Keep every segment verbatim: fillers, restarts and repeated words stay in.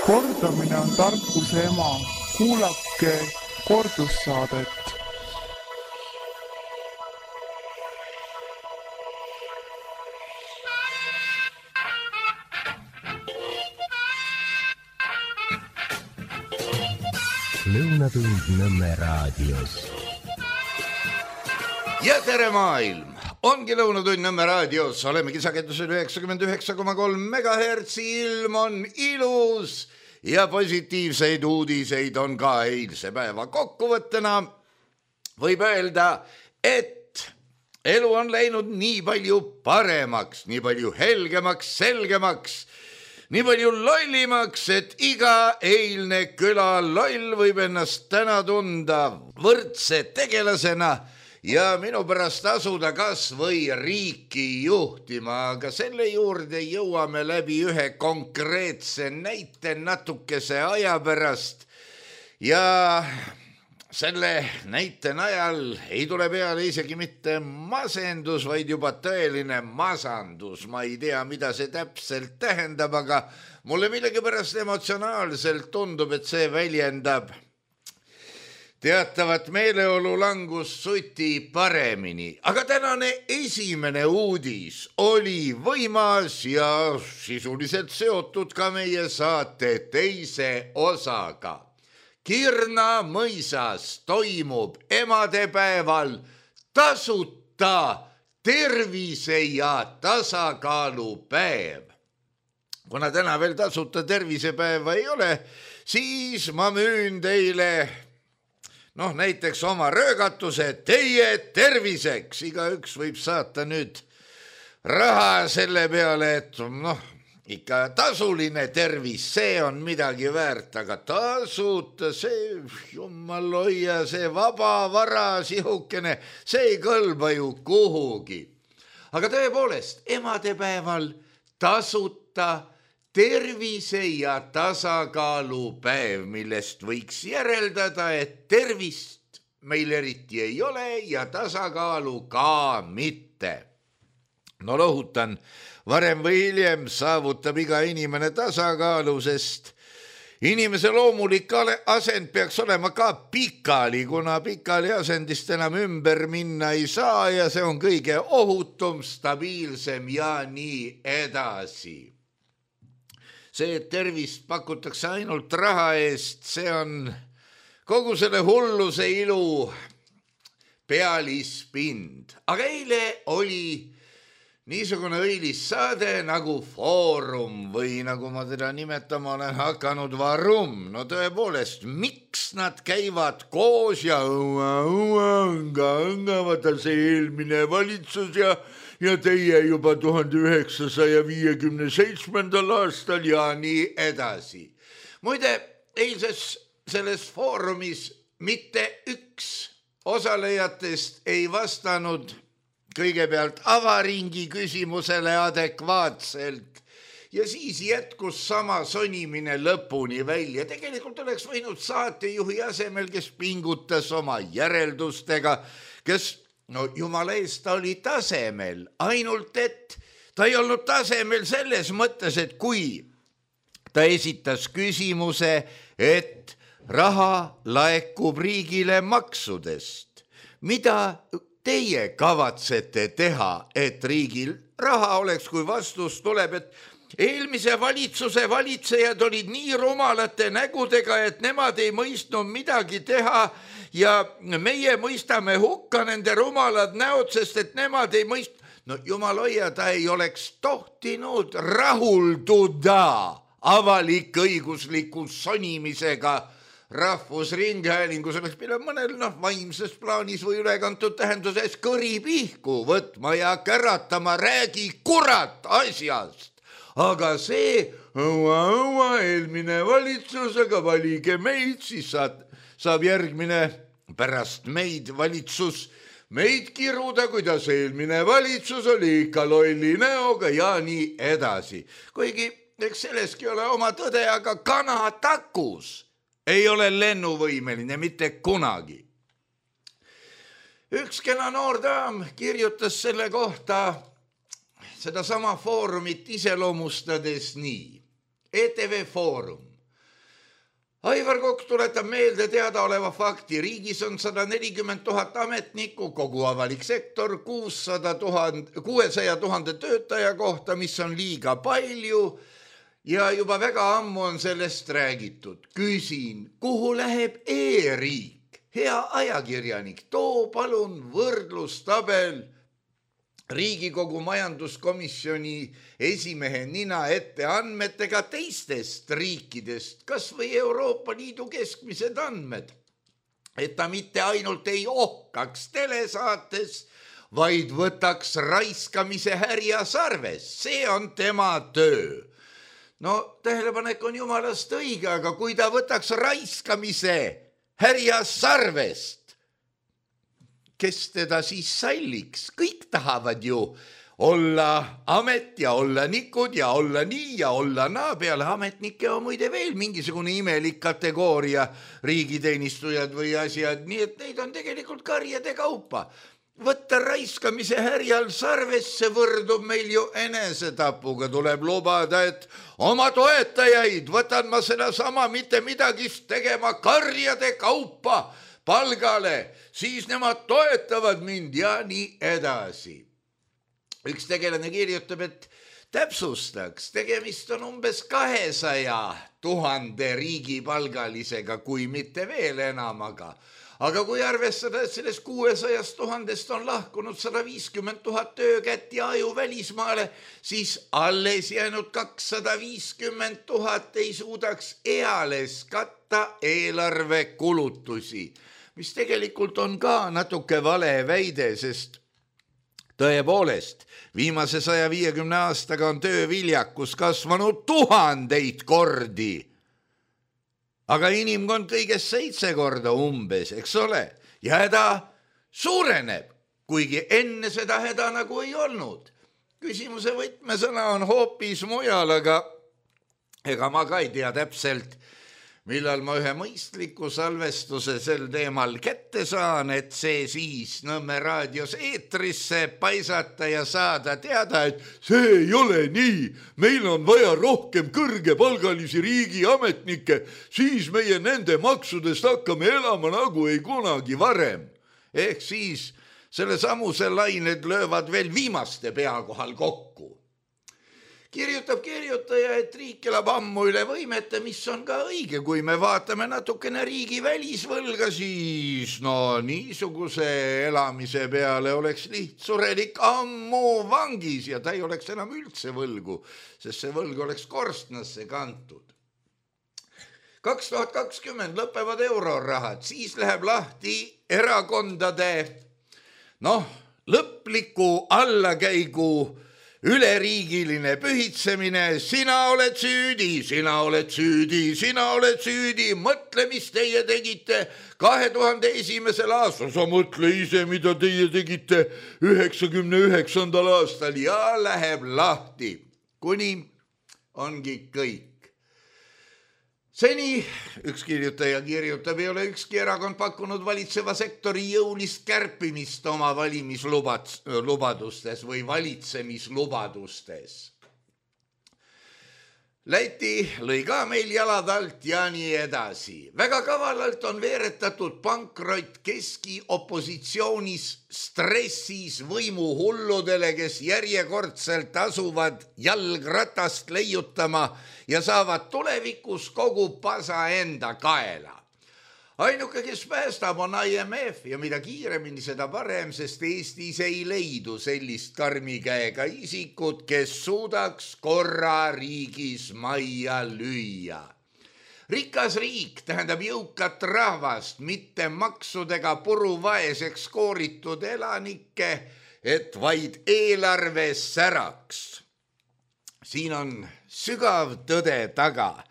Kordamine on tarkuse ema. Kuulake kordussaadet. Lõunatund Nõmme raadios. Ja tere maailm! Ongi Lõunatund Nõmme raadios. Olemegi sagedusel üheksakümmend üheksa koma kolm megahertsi. Ilm on ilus ja positiivseid uudiseid on ka eilse päeva kokkuvõttena. Võib öelda, et elu on läinud nii palju paremaks, nii palju helgemaks, selgemaks, nii palju lollimaks, et iga eilne küla loll võib ennast täna tunda võrdse tegelasena ja minu pärast asuda kas või riiki juhtima, aga selle juurde jõuame läbi ühe konkreetse näite natukese aja pärast ja selle näite najal ei tule peale isegi mitte masendus, vaid juba tõeline masandus. Ma ei tea, mida see täpselt tähendab, aga mulle millegipärast emotsionaalselt tundub, et see väljendab teatavat meeleolu langust suti paremini. Aga tänane esimene uudis oli võimas ja sisuliselt seotud ka meie saate teise osaga. Kirna mõisas toimub emadepäeval tasuta tervise ja tasakaalupäev. Kuna täna veel tasuta tervisepäeva ei ole, siis ma müün teile noh, näiteks oma röögatuse teie terviseks. Igaüks võib saata nüüd raha selle peale, et noh, ikka tasuline tervis, see on midagi väärt, aga tasuta, see jumal hoia, see vaba vara sihukene, see ei kõlba ju kuhugi. Aga tõepoolest, emadepäeval tasuta tervise ja tasakaalupäev, millest võiks järeldada, et tervist meil eriti ei ole ja tasakaalu ka mitte. No lohutan, varem või hiljem saavutab iga inimene tasakaalu, sest inimese loomulik asend peaks olema ka pikali, kuna pikali asendist enam ümber minna ei saa ja see on kõige ohutum, stabiilsem ja nii edasi. See, et tervist pakutakse ainult raha eest, see on kogu selle hulluse ilu pealispind. Aga eile oli niisugune õilis saade nagu Foorum või nagu ma teda nimetama olen hakanud Varum. No tõepoolest, miks nad käivad koos ja õua, õua, õnga, õnga, vaata see eelmine valitsus ja ja teie juba tuhande üheksasaja viiekümne seitsmendal aastal ja nii edasi. Muide, eilses selles foorumis mitte üks osalejatest ei vastanud kõigepealt avaringi küsimusele adekvaatselt ja siis jätkus sama sonimine lõpuni välja. Tegelikult oleks võinud saatejuhi asemel, kes pingutas oma järeldustega, kes no jumala eest, ta oli tasemel, ainult et ta ei olnud tasemel selles mõttes, et kui ta esitas küsimuse, et raha laekub riigile maksudest, mida teie kavatsete teha, et riigil raha oleks, kui vastus tuleb, et eelmise valitsuse valitsejad olid nii rumalate nägudega, et nemad ei mõistnud midagi teha ja meie mõistame hukka nende rumalad näod, sest et nemad ei mõist... No jumal hoia, ta ei oleks tohtinud rahulduda avalik-õigusliku sonimisega rahvusringhäälingus. Oleks pidanud mõnel noh, vaimses plaanis või ülekantud tähenduses kõri pihku võtma ja käratama, räägi kurat asjast. Aga see õua, õua, eelmine valitsus, aga valige meid, siis saad, saab järgmine pärast meid valitsus meid kiruda, kuidas eelmine valitsus oli ikka lolli näoga ja nii edasi. Kuigi, eks selleski ole oma tõde, aga kanatakus ei ole lennuvõimeline mitte kunagi. Üks kena noor daam kirjutas selle kohta seda sama foorumit iseloomustades nii. E T V Foorum. Aivar Kokk tuletab meelde teadaoleva fakti. Riigis on sada nelikümmend tuhat ametnikku, kogu avalik sektor kuussada tuhande töötaja kohta, mis on liiga palju ja juba väga ammu on sellest räägitud. Küsin, kuhu läheb e-riik? Hea ajakirjanik, too palun võrdlustabel Riigikogu majanduskomisjoni esimehe nina ette andmetega teistest riikidest, kas või Euroopa Liidu keskmised andmed, et ta mitte ainult ei ohkaks telesaates, vaid võtaks raiskamise härjas arves. See on tema töö. No tähelepanek on jumalast õige, aga kui ta võtaks raiskamise härjas arvest, kes teda siis salliks? Kõik tahavad ju olla amet ja olla nikud ja olla nii ja olla naa. Peale ametnike on muide veel mingisugune imelik kategooria, riigiteenistujad või asjad, nii et neid on tegelikult karjade kaupa. Võtta raiskamise härjal sarvesse võrdub meil ju enesetapuga. Tuleb lubada, et oma toetajaid võtan ma seda sama mitte midagist tegema karjade kaupa palgale, siis nemad toetavad mind ja nii edasi. Üks tegelane kirjutab, et täpsustaks, tegemist on umbes kahesaja tuhande riigipalgalisega, kui mitte veel enamaga. Aga kui arvestada, et sellest kuuesajast tuhandest on lahkunud sada viiskümmend tuhat töökätt ja aju välismaale, siis alles jäänud kakssada viiskümmend tuhat ei suudaks eales katta eelarve kulutusi. Mis tegelikult on ka natuke vale väide, sest tõepoolest viimase saja viiekümne aastaga on tööviljakus kasvanud tuhandeid kordi. Aga inimkond kõigest seitse korda umbes, eks ole, ja häda suureneb, kuigi enne seda häda nagu ei olnud. Küsimuse võtmesõna on hoopis mujal, aga ega ma ka ei tea täpselt, millal ma ühe mõistliku salvestuse sel teemal kätte saan, et see siis Nõmme raadios eetrisse paisata ja saada teada, et see ei ole nii. Meil on vaja rohkem kõrgepalgalisi riigiametnikke, siis meie nende maksudest hakkame elama nagu ei kunagi varem. Ehk siis selle samuse lained löövad veel viimaste pea kohal kokku. Kirjutab kirjutaja, et riik elab ammu üle võimete, mis on ka õige. Kui me vaatame natukene riigi välisvõlga, siis no niisuguse elamise peale oleks lihtsurelik ammu vangis ja ta ei oleks enam üldse võlgu, sest see võlg oleks korstnasse kantud. kaks tuhat kakskümmend lõpevad eurorahad, siis läheb lahti erakondade noh, lõpliku allakäigu üleriigiline pühitsemine, sina oled süüdi, sina oled süüdi, sina oled süüdi, mõtle, mis teie tegite kahe tuhande esimesel aastal, sa mõtle ise, mida teie tegite üheksakümne üheksandal aastal ja läheb lahti, kuni ongi kõik. Seni, üks kirjutaja kirjutab, ei ole ükski erakond pakkunud valitseva sektori jõulist kärpimist oma valimislubadustes või valitsemislubadustes. Läti lõi ka meil jalad alt ja nii edasi. Väga kavalalt on veeretatud pankrot keski opositsioonis stressis võimuhulludele, kes järjekordselt asuvad jalgratast leiutama ja saavad tulevikus kogu pasa enda kaela. Ainuke, kes päästab, on I M F ja mida kiiremini seda parem, sest Eestis ei leidu sellist karmikäega isikut, kes suudaks korra riigis majja lüüa. Rikas riik tähendab jõukat rahvast, mitte maksudega puruvaeseks kooritud elanikke, et vaid eelarve säraks. Siin on sügav tõde taga.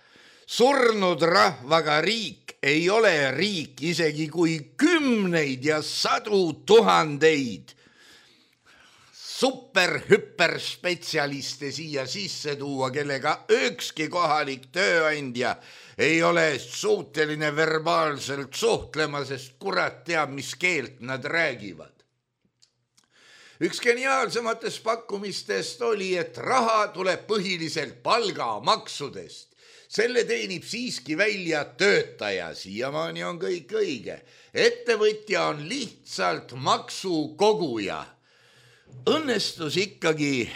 Surnud rahvaga riik ei ole riik, isegi kui kümneid ja sadu tuhandeid super-hüperspetsialiste siia sisse tuua, kellega ükski kohalik tööandja ei ole suuteline verbaalselt suhtlema, sest kurat teab, mis keelt nad räägivad. Üks geniaalsematest pakkumistest oli, et raha tuleb põhiliselt palgamaksudest. selle teenib siiski välja töötaja, siiamaani on kõik õige. Ettevõtja on lihtsalt maksukoguja. Õnnestus ikkagi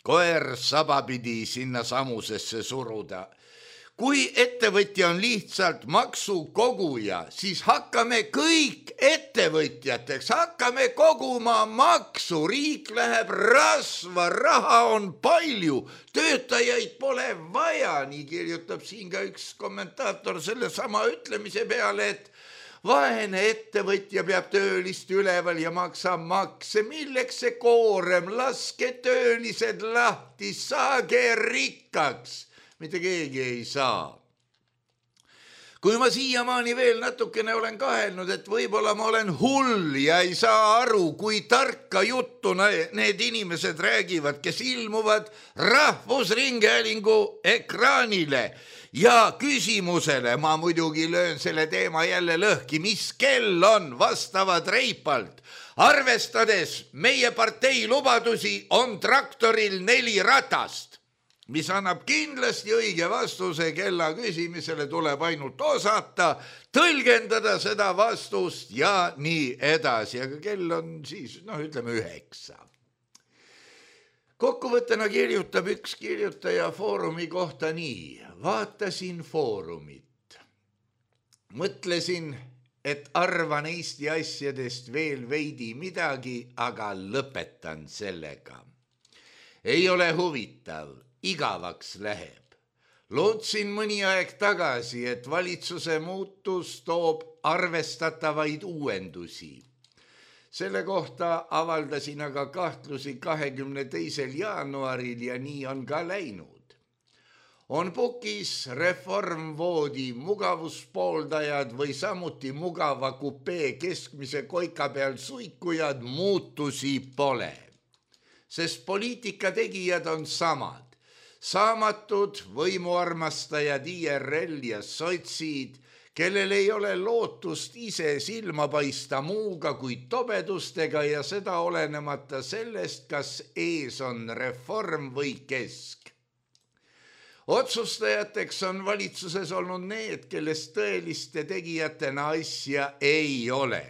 koer sabapidi sinna samusesse suruda. Kui ettevõtja on lihtsalt maksukoguja, siis hakkame kõik ettevõtjateks, hakkame koguma maksu, riik läheb rasva, raha on palju, töötajaid pole vaja, nii kirjutab siin ka üks kommentaator selle sama ütlemise peale, et vaene ettevõtja peab töölist üleval ja maksab makse, milleks see koorem, laske töölised lahti, saage rikkaks. Mitte keegi ei saa. Kui ma siiamaani veel natukene olen kahelnud, et võib-olla ma olen hull ja ei saa aru, kui tarka juttu need inimesed räägivad, kes ilmuvad Rahvusringhäälingu ekraanile ja küsimusele, ma muidugi löön selle teema jälle lõhki, mis kell on vastavad reipalt. Arvestades meie partei lubadusi on traktoril neli ratast, mis annab kindlasti õige vastuse kella küsimisele, tuleb ainult osata, tõlgendada seda vastust ja nii edasi, aga kell on siis, noh, ütleme üheksa. Kokkuvõttena kirjutab üks kirjutaja Foorumi kohta nii, vaatasin Foorumit, mõtlesin, et arvan Eesti asjadest veel veidi midagi, aga lõpetan sellega. Ei ole huvitav. Igavaks läheb. Lootsin mõni aeg tagasi, et valitsuse muutus toob arvestatavaid uuendusi. Selle kohta avaldasin aga kahtlusi kahekümne teisel jaanuaril ja nii on ka läinud. On pukis reformvoodi mugavuspooldajad või samuti mugava kupee keskmise koika peal suikujad, muutusi pole. Sest poliitika tegijad on samad. Saamatud võimuarmastajad I R L ja sotsid, kellel ei ole lootust ise silma paista muuga kui tobedustega ja seda olenemata sellest, kas ees on reform või kesk. Otsustajateks on valitsuses olnud need, kellest tõeliste tegijatena asja ei ole.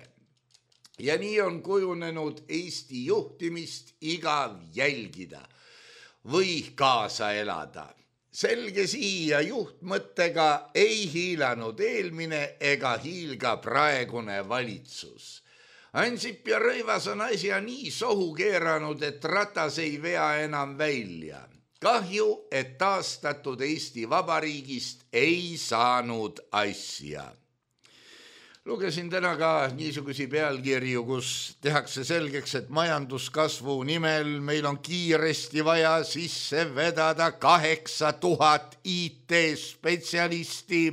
Ja nii on kujunenud Eesti juhtimist igav jälgida või kaasa elada. Selge siia juhtmõttega ei hiilanud eelmine ega hiilga praegune valitsus. Ansip ja Rõivas on asja nii sohu keeranud, et ratas ei vea enam välja. Kahju, et taastatud Eesti Vabariigist ei saanud asja. Lugesin täna ka niisugusi pealkirju, kus tehakse selgeks, et majanduskasvu nimel meil on kiiresti vaja sisse vedada kaheksa tuhat I T-spetsialisti.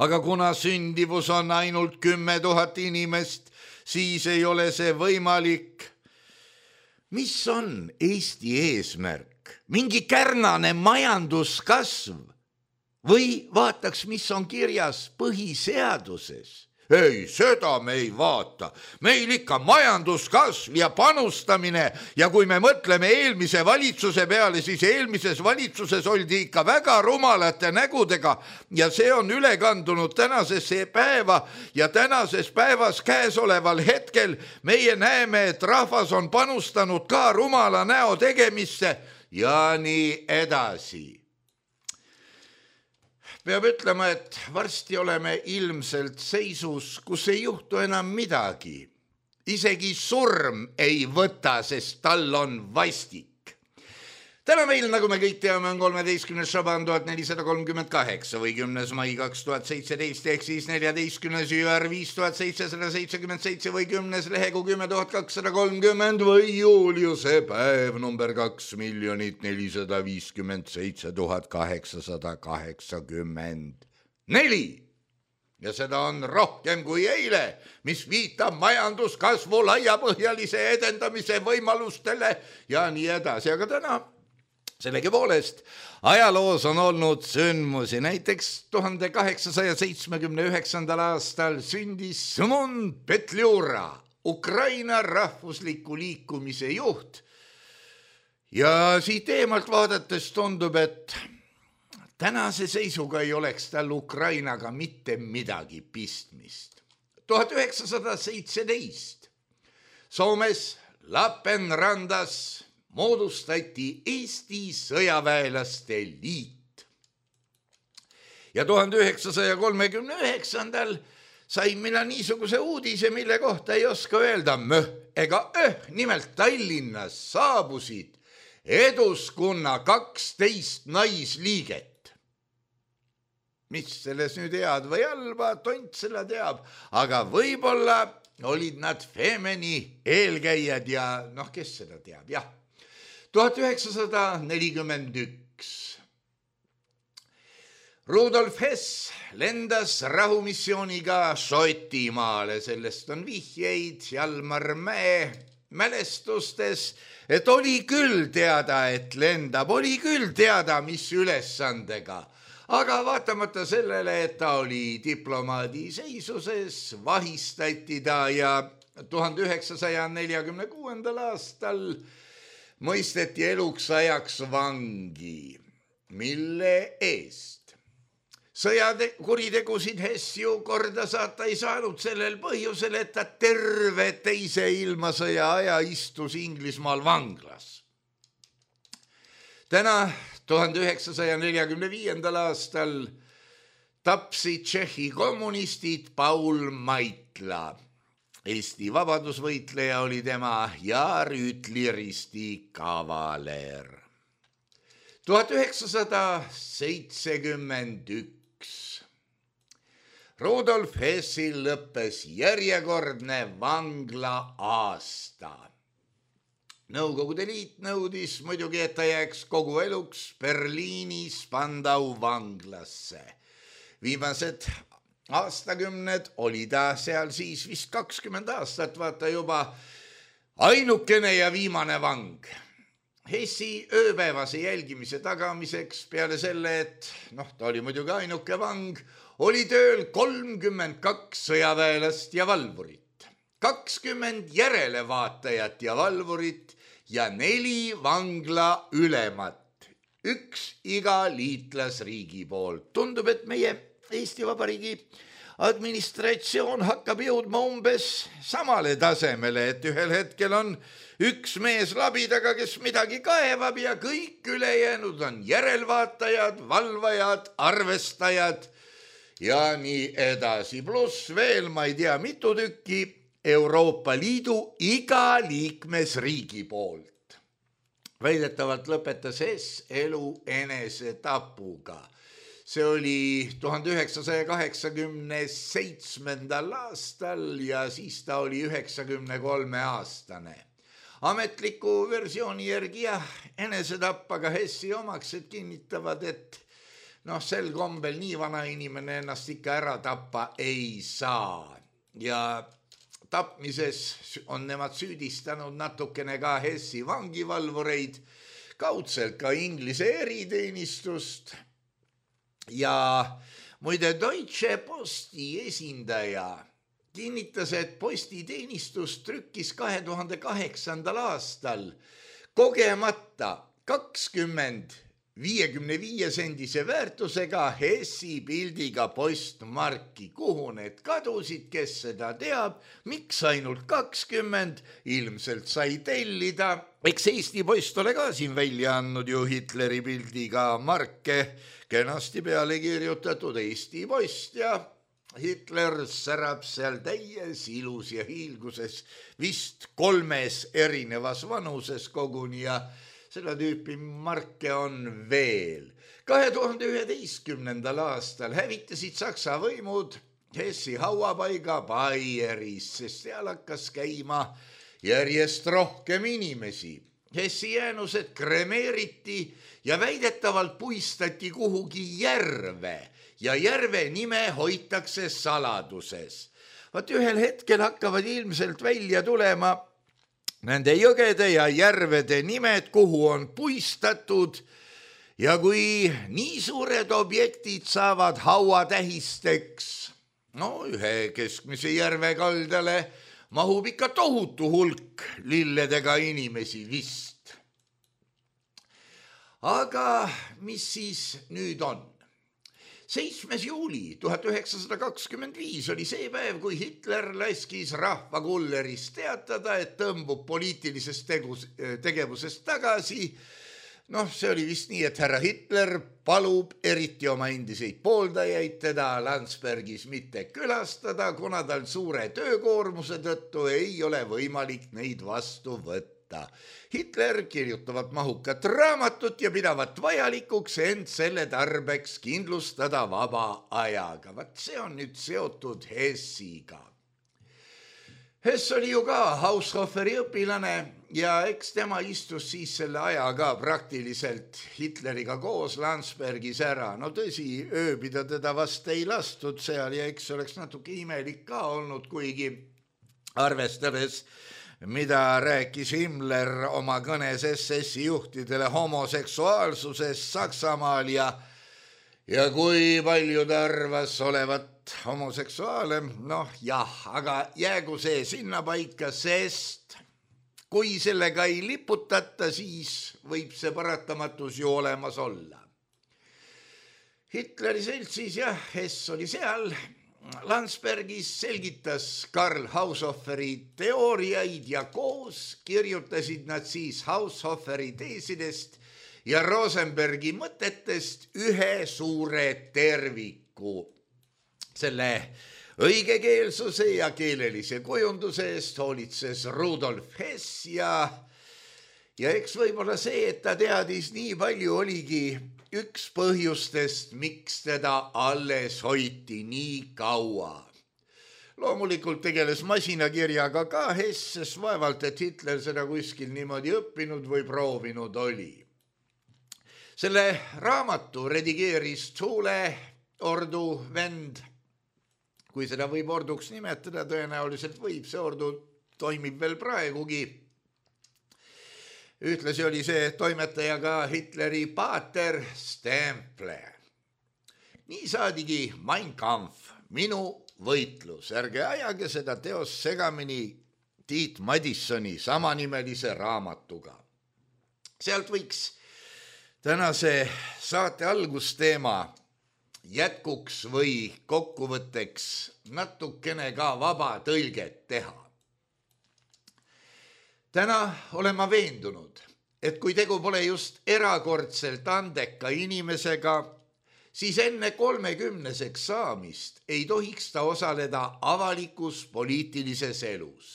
Aga kuna sündivus on ainult kümme tuhat inimest, siis ei ole see võimalik. Mis on Eesti eesmärk? Mingi kärnane majanduskasv? Või vaataks, mis on kirjas põhiseaduses? Ei, seda me ei vaata. Meil ikka majanduskasv ja panustamine ja kui me mõtleme eelmise valitsuse peale, siis eelmises valitsuses oldi ikka väga rumalate nägudega ja see on üle kandunud tänasesse päeva ja tänases päevas käesoleval hetkel meie näeme, et rahvas on panustanud ka rumala näo tegemisse ja nii edasi. Peab ütlema, et varsti oleme ilmselt seisus, kus ei juhtu enam midagi. Isegi surm ei võta, sest tal on vastik. Täna meil, nagu me kõik teame, on kolmeteistkümnes Šaban tuhat nelisada kolmkümmend kaheksa või kümnes mai kaks tuhat seitseteist ehk siis neljateistkümnes jüär viis tuhat seitsesada seitsekümmend seitse või kümnes lehegu kümme tuhat kakssada kolmkümmend või juuliuse päev number kaks miljonit nelisada viiskümmend seitse tuhat kaheksasada kaheksakümmend neli. Ja seda on rohkem kui eile, mis viitab majanduskasvu laiapõhjalise edendamise võimalustele ja nii edasi. Aga täna sellegi poolest ajaloos on olnud sündmusi. Näiteks tuhande kaheksasaja seitsmekümne üheksandal aastal sündis Šimon Petliura, Ukraina rahvusliku liikumise juht. Ja siit eemalt vaadates tundub, et tänase seisuga ei oleks tal Ukrainaga mitte midagi pistmist. tuhat üheksasada seitseteist Soomes Lappeenrandas moodustati Eesti sõjaväelaste liit. Ja tuhande üheksasaja kolmekümne üheksandal sain mina niisuguse uudise, mille kohta ei oska öelda möh ega öh. Nimelt Tallinnas saabusid Eduskunna kaksteist naisliiget. Mis selles nüüd head või halba, tont selle teab, aga võib-olla olid nad Femeni eelkäijad ja noh, kes seda teab, jah. tuhat üheksasada nelikümmend üks Rudolf Hess lendas rahumissiooniga Šotimaale, sellest on vihjeid Jalmar Mäe mälestustes, et oli küll teada, et lendab, oli küll teada, mis ülesandega. Aga vaatamata sellele, et ta oli diplomaadi seisuses, vahistati ta ja tuhande üheksasaja neljakümne kuuendal aastal mõisteti eluks ajaks vangi, mille eest. Sõjakuritegusid Hess ju korda saata ei saanud sellel põhjusel, et ta terve teise ilmasõja aja istus Inglismaal vanglas. Täna tuhande üheksasaja neljakümne viiendal aastal tapsid Tšehhi kommunistid Paul Maitla. Eesti vabadusvõitleja oli tema ja rüütliristi kavaler. tuhat üheksasada seitsekümmend üks Rudolf Hessil lõppes järjekordne vangla aasta. Nõukogude liit nõudis muidugi, et ta jääks kogu eluks Berliini Spandau vanglasse. Viimased aastakümned oli ta seal siis vist kakskümmend aastat, vaata juba ainukene ja viimane vang. Hessi ööpäevase jälgimise tagamiseks peale selle, et noh, ta oli muidugi ainuke vang, oli tööl kolmkümmend kaks sõjaväelast ja valvurit, kakskümmend järelevaatajat ja valvurit ja neli vangla ülemat, üks iga liitlasriigi poolt. Tundub, et meie Eesti Vabariigi administratsioon hakkab jõudma umbes samale tasemele, et ühel hetkel on üks mees labidaga, kes midagi kaevab ja kõik ülejäänud on järelvaatajad, valvajad, arvestajad ja nii edasi. Pluss veel, ma ei tea, mitu tükki Euroopa Liidu iga liikmesriigi poolt. Väidetavalt lõpetas Hess elu enesetapuga. See oli tuhande üheksasaja kaheksakümne seitsmendal aastal ja siis ta oli üheksakümne kolme aastane. Ametliku versiooni järgi jah, enesetapp, aga Hessi omaksed kinnitavad, et noh, sel kombel nii vana inimene ennast ikka ära tappa ei saa. Ja tapmises on nemad süüdistanud natukene ka Hessi vangivalvureid, kaudselt ka Inglise eriteenistust. Ja muide Deutsche Posti esindaja kinnitas, et postiteenistus trükkis kahe tuhande kaheksandal aastal kogemata kakskümmend viiekümne viie sendise väärtusega Hessi pildiga postmarki. Kuhu need kadusid, kes seda teab, miks ainult kakskümmend, ilmselt sai tellida. Eks Eesti Post ole ka siin välja andnud ju Hitleri pildiga marke, kenasti peale kirjutatud Eesti Post ja Hitler särab seal täies ilus ja hiilguses vist kolmes erinevas vanuses koguni ja seda tüüpi marke on veel. kahe tuhande üheteistkümnendal aastal hävitasid Saksa võimud Hessi hauapaiga Baieris, sest seal hakkas käima järjest rohkem inimesi. Hessi jäänused kremeeriti ja väidetavalt puistati kuhugi järve ja järve nime hoitakse saladuses. Vaat ühel hetkel hakkavad ilmselt välja tulema nende jõgede ja järvede nimed, kuhu on puistatud ja kui nii suured objektid saavad hauatähisteks, no ühe keskmise järve kaldale mahub ikka tohutu hulk lilledega inimesi vist. aga mis siis nüüd on? seitsmes juuli tuhat üheksasada kakskümmend viis oli see päev, kui Hitler laskis rahvakulleris teatada, et tõmbub poliitilisest tegus, tegevusest tagasi. Noh, see oli vist nii, et härra Hitler palub eriti oma endiseid pooldajaid teda Landsbergis mitte külastada, kuna tal suure töökoormuse tõttu ei ole võimalik neid vastu võtta. Hitler kirjutavat mahukat raamatut ja pidavat vajalikuks end selle tarbeks kindlustada vaba ajaga. Vat see on nüüd seotud Hessiga. Hess oli ju ka Haushoferi õpilane ja eks tema istus siis selle aja ka praktiliselt Hitleriga koos Landsbergis ära. No tõsi, ööbida teda vast ei lastud seal ja eks oleks natuke imelik ka olnud, kuigi arvestades, mida rääkis Himmler oma kõnes S S-i juhtidele homoseksuaalsusest Saksamaal ja, ja kui palju ta arvas olevat homoseksuaale, noh jah, aga jäägu see sinna paika, sest kui sellega ei liputata, siis võib see paratamatus ju olemas olla. Hitleri seltsis, jah, Hess oli seal, Landsbergis selgitas Karl Haushoferi teooriaid ja koos kirjutasid nad siis Haushoferi teesidest ja Rosenbergi mõtetest ühe suure terviku. Selle õigekeelsuse ja keelelise kujunduse eest hoolitses Rudolf Hess ja, ja eks võib-olla see, et ta teadis nii palju, oligi üks põhjustest, miks teda alles hoiti nii kaua. Loomulikult tegeles masinakirjaga ka Hess, sest vaevalt, et Hitler seda kuskil niimoodi õppinud või proovinud oli. Selle raamatu redigeeris Thule ordu vend, kui seda võib orduks nimetada, tõenäoliselt võib, see ordu toimib veel praegugi. Ühtlasi oli see toimetaja ka Hitleri paater Stemple. Nii saadigi Mein Kampf, minu võitlus. Ärge ajage seda teost segamini Tiit Madissoni samanimelise raamatuga. Sealt võiks tänase saate algusteema jätkuks või kokkuvõtteks natukene ka vaba tõlget teha. Täna olen ma veendunud, et kui tegu pole just erakordselt andeka inimesega, siis enne kolmekümneseks saamist ei tohiks ta osaleda avalikus poliitilises elus.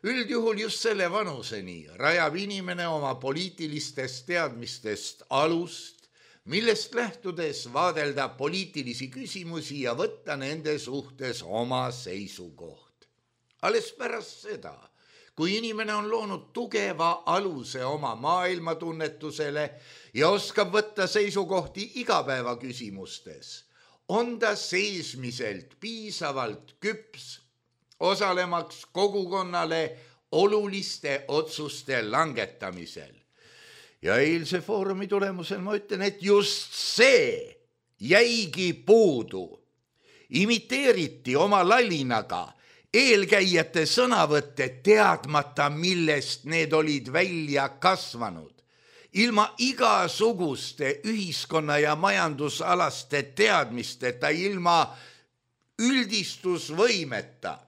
Üldjuhul just selle vanuseni rajab inimene oma poliitilistest teadmistest alust, millest lähtudes vaadelda poliitilisi küsimusi ja võtta nende suhtes oma seisukoht. Alles pärast seda, kui inimene on loonud tugeva aluse oma maailmatunnetusele ja oskab võtta seisukohti igapäeva küsimustes, on ta seesmiselt piisavalt küps osalemaks kogukonnale oluliste otsuste langetamisel. Ja eilse foorumi tulemusel ma ütlen, et just see jäigi puudu. Imiteeriti oma lallinaga eelkäijate sõnavõtte teadmata, millest need olid välja kasvanud. Ilma igasuguste ühiskonna ja majandusalaste teadmisteta, ilma üldistusvõimeta.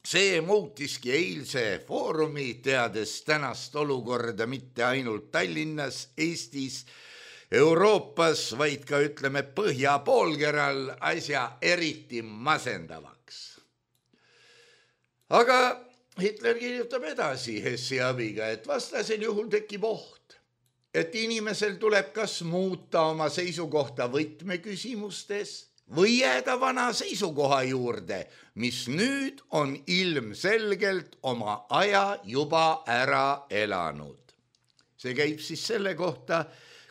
See muutiski eilse foorumi, teades tänast olukorda mitte ainult Tallinnas, Eestis, Euroopas, vaid ka ütleme põhjapoolkeral asja eriti masendavaks. Aga Hitler kirjutab edasi Hessi abiga, et vastasel juhul tekib oht, et inimesel tuleb kas muuta oma seisukohta võtmeküsimustes või jääda vana seisukoha juurde, mis nüüd on ilmselgelt oma aja juba ära elanud. See käib siis selle kohta,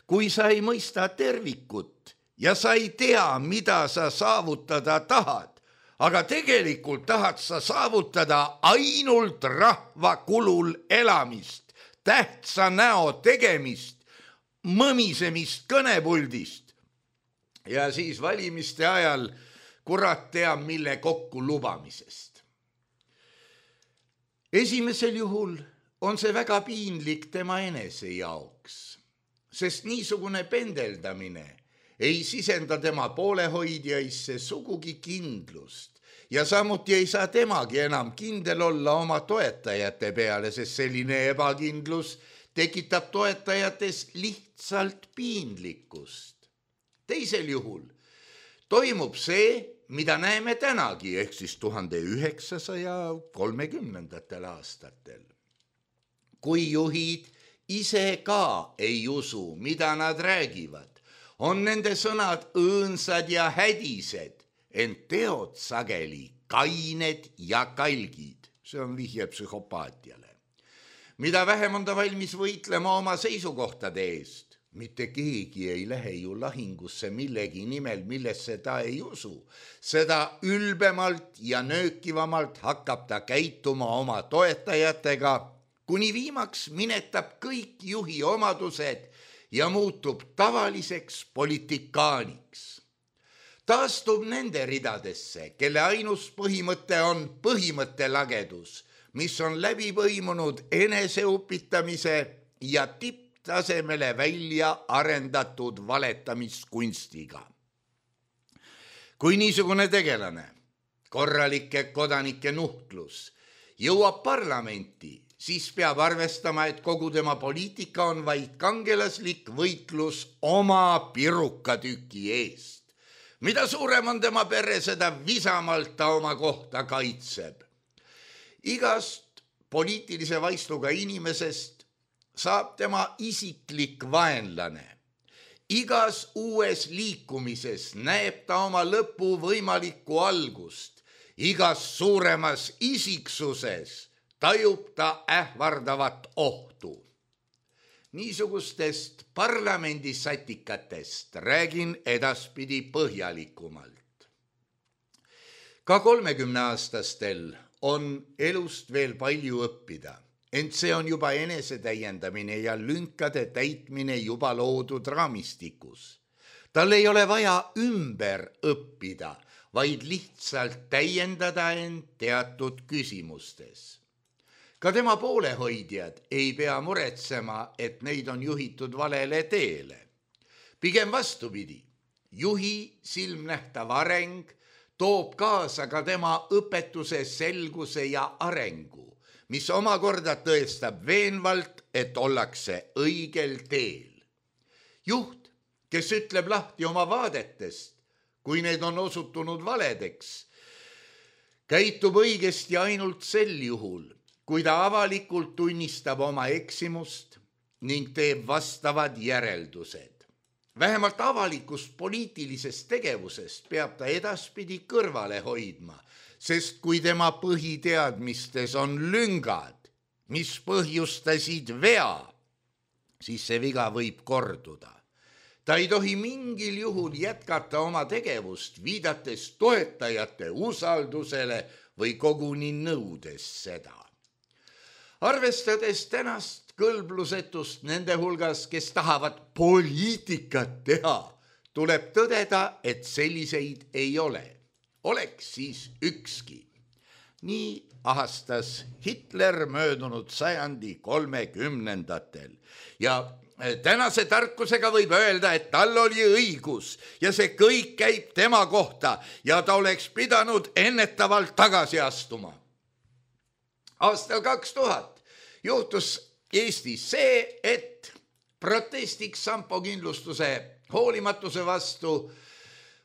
kui sa ei mõista tervikut ja sa ei tea, mida sa saavutada tahad, aga tegelikult tahad sa saavutada ainult rahva kulul elamist, tähtsa näo tegemist, mõmisemist kõnepuldist ja siis valimiste ajal kurat teab mille kokku lubamisest. Esimesel juhul on see väga piinlik tema enese jaoks. sest niisugune pendeldamine ei sisenda tema poolehoidjaisse sugugi kindlust ja samuti ei saa temagi enam kindel olla oma toetajate peale, sest selline ebakindlus tekitab toetajates lihtsalt piinlikkust. Teisel juhul toimub see, mida näeme tänagi, ehk siis tuhande üheksasaja kolmekümnendatel aastatel. Kui juhid ise ka ei usu, mida nad räägivad, on nende sõnad õõnsad ja hädised, ent teod sageli kained ja kalgid. See on vihje psühhopaatiale. Mida vähem on ta valmis võitlema oma seisukohtade eest, mitte keegi ei lähe ju lahingusse millegi nimel, millesse ta ei usu. Seda ülbemalt ja nöökivamalt hakkab ta käituma oma toetajatega, kuni viimaks minetab kõik juhi omadused ja muutub tavaliseks politikaaniks. Taastub nende ridadesse, kelle ainus põhimõte on põhimõttelagedus, mis on läbi põimunud eneseupitamise ja tipptasemele välja arendatud valetamiskunstiga. Kui niisugune tegelane, korralike kodanike nuhtlus, jõuab parlamenti, siis peab arvestama, et kogu tema poliitika on vaid kangelaslik võitlus oma pirukatüki eest. Mida suurem on tema pere, seda visamalt ta oma kohta kaitseb. Igast poliitilise vaistuga inimesest saab tema isiklik vaenlane. Igas uues liikumises näeb ta oma lõpu võimalikku algust. Igas suuremas isiksuses tajub ta ähvardavat ohtu. Niisugustest parlamendisatikatest räägin edaspidi põhjalikumalt. Ka kolmekümneaastastel on elust veel palju õppida, ent see on juba enesetäiendamine ja lünkade täitmine juba loodud raamistikus. Tal ei ole vaja ümber õppida, vaid lihtsalt täiendada end teatud küsimustes. Ka tema poolehoidjad ei pea muretsema, et neid on juhitud valele teele. Pigem vastupidi, juhi silmnähtav areng toob kaasa ka tema õpetuse selguse ja arengu, mis omakorda tõestab veenvalt, et ollakse õigel teel. Juht, kes ütleb lahti oma vaadetest, kui need on osutunud valedeks, käitub õigesti ainult sel juhul, kui ta avalikult tunnistab oma eksimust ning teeb vastavad järeldused. Vähemalt avalikust poliitilisest tegevusest peab ta edaspidi kõrvale hoidma, sest kui tema põhiteadmistes on lüngad, mis põhjustasid vea, siis see viga võib korduda. Ta ei tohi mingil juhul jätkata oma tegevust, viidates toetajate usaldusele või koguni nõudes seda. Arvestades tänast kõlblusetust nende hulgas, kes tahavad poliitikat teha, tuleb tõdeda, et selliseid ei ole. Oleks siis ükski. Nii ahastas Hitler möödunud sajandi kolmekümnendatel ja tänase tarkusega võib öelda, et tal oli õigus ja see kõik käib tema kohta ja ta oleks pidanud ennetavalt tagasi astuma. Aastal kaks tuhat juhtus Eestis see, et protestiks Sampo kindlustuse hoolimatuse vastu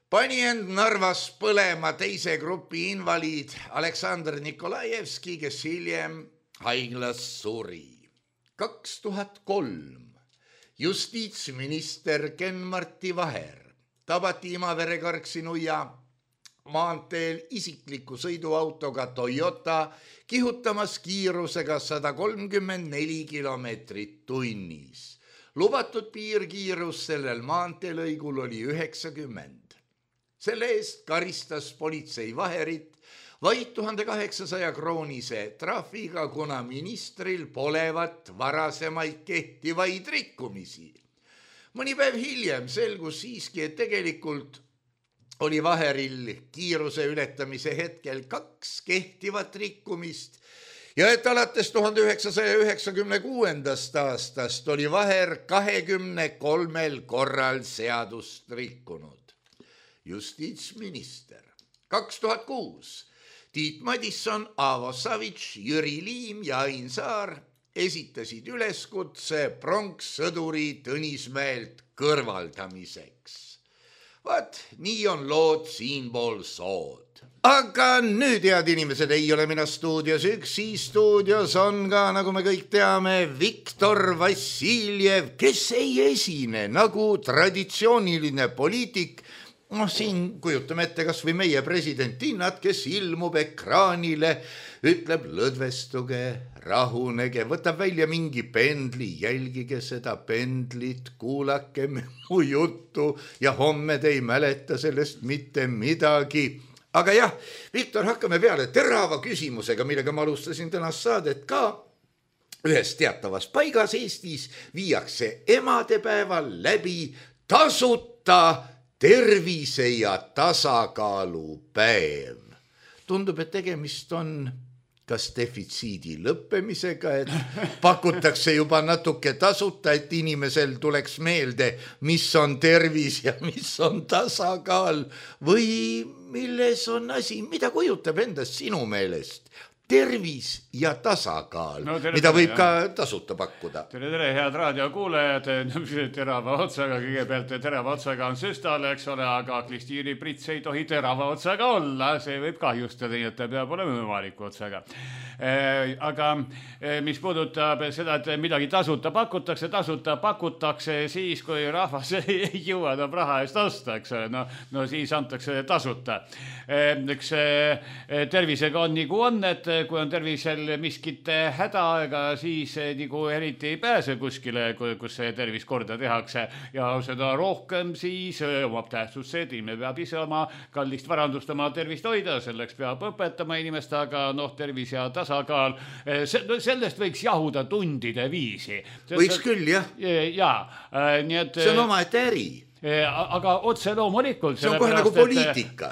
pani end Narvas põlema teise grupi invaliid Aleksandr Nikolajevski, kes hiljem haiglas suri. kaks tuhat kolm justiitsminister Ken-Marti Vaher tabati Imavere Karksi-Nuia maanteel isikliku sõiduautoga Toyota kihutamas kiirusega sada kolmkümmend neli kilomeetrit tunnis. Lubatud piirkiirus sellel maanteelõigul oli üheksakümmend. Selle eest karistas politsei Vaherit vaid tuhande kaheksasaja kroonise trahviga, kuna ministril polevat varasemaid kehtivaid rikkumisi. Mõni päev hiljem selgus siiski, et tegelikult oli Vaheril kiiruse ületamise hetkel kaks kehtivat rikkumist ja et alates tuhande üheksasaja üheksakümne kuuendast aastast oli Vaher kahekümne kolmel korral seadust rikkunud. Justiitsminister. kaks tuhat kuus Tiit Madisson, Aavo Savits, Jüri Liim ja Ain Saar esitasid üleskutse pronkssõduri Tõnismäelt kõrvaldamiseks. Vaat, nii on lood siinpool sood. Aga nüüd, head inimesed, ei ole mina stuudios üksi, stuudios on ka, nagu me kõik teame, Viktor Vassiljev, kes ei esine nagu traditsiooniline poliitik. noh, siin kujutame ette kas või meie president Tinnat, kes ilmub ekraanile, ütleb lõdvestuge, rahunege, võtab välja mingi pendli, jälgige seda pendlit, kuulake mu juttu ja homme te ei mäleta sellest mitte midagi. Aga jah, Viktor, hakkame peale terava küsimusega, millega ma alustasin tänast saadet ka. Ühes teatavas paigas Eestis viiakse emadepäeval läbi tasuta tervise ja tasakaalu päev. Tundub, et tegemist on kas defitsiidi lõppemisega, et pakutakse juba natuke tasuta, et inimesel tuleks meelde, mis on tervis ja mis on tasakaal või milles on asi, mida kujutab endast sinu meelest tervis ja tasakaal, no, tere, mida võib ka tasuta pakkuda. Tere, tere, head raadiokuulejad, terava otsaga, kõigepealt terava otsaga on süstal, eks ole, aga klistiiriprits ei tohi terava otsaga olla, see võib kahjustada, nii et ta peab olema võimaliku otsaga. Aga mis puudutab seda, et midagi tasuta pakutakse, tasuta pakutakse siis, kui rahvas ei jõua enam raha eest osta, eks ole, no, no siis antakse tasuta. Eks tervisega on nagu on, et kui on tervisel miskit häda, ega siis nagu eriti ei pääse kuskile, kus see tervis korda tehakse ja seda rohkem siis omab tähtsust see, et inimene peab ise oma kallist varandust oma tervist hoida, selleks peab õpetama inimest, aga noh, tervis ja tasakaal, sellest võiks jahuda tundide viisi. Võiks küll, jah. Jaa, nii et see on oma ette äri. Aga otse loomulikult. See on kohe nagu poliitika.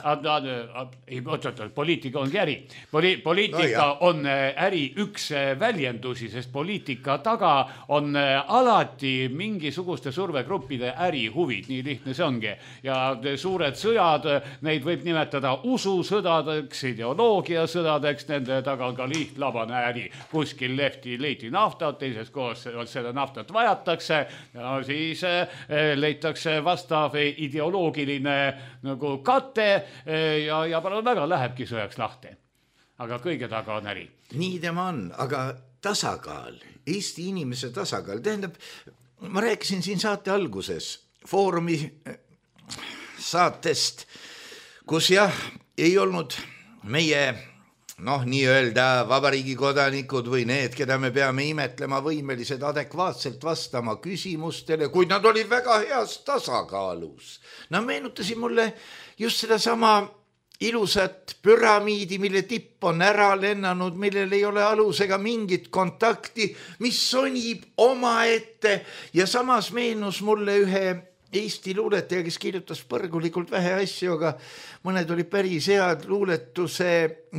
Ei, oot-oot, poliitika ongi äri. Poli, poliitika no, on äri üks väljendusi, sest poliitika taga on alati mingisuguste survegruppide ärihuvid, nii lihtne see ongi. Ja suured sõjad, neid võib nimetada ususõdadeks, ideoloogiasõdadeks, nende taga on ka lihtlabane äri. Kuskil lehti leiti naftat, teises koos seda naftat vajatakse ja siis leitakse vastu vastav ideoloogiline nagu kate ja, ja palun väga lähebki sõjaks lahti. Aga kõige taga on äri. Nii tema on, aga tasakaal, Eesti inimese tasakaal, tähendab, ma rääkisin siin saate alguses Foorumi saatest, kus jah, ei olnud meie noh, nii öelda vabariigi kodanikud või need, keda me peame imetlema võimelised adekvaatselt vastama küsimustele, kuid nad olid väga heas tasakaalus. Nad meenutasid mulle just seda sama ilusat püramiidi, mille tipp on ära lennanud, millel ei ole alusega mingit kontakti, mis sonib omaette ja samas meenus mulle ühe Eesti luuletaja, kes kirjutas põrgulikult vähe asju, aga mõned oli päris head luuletuse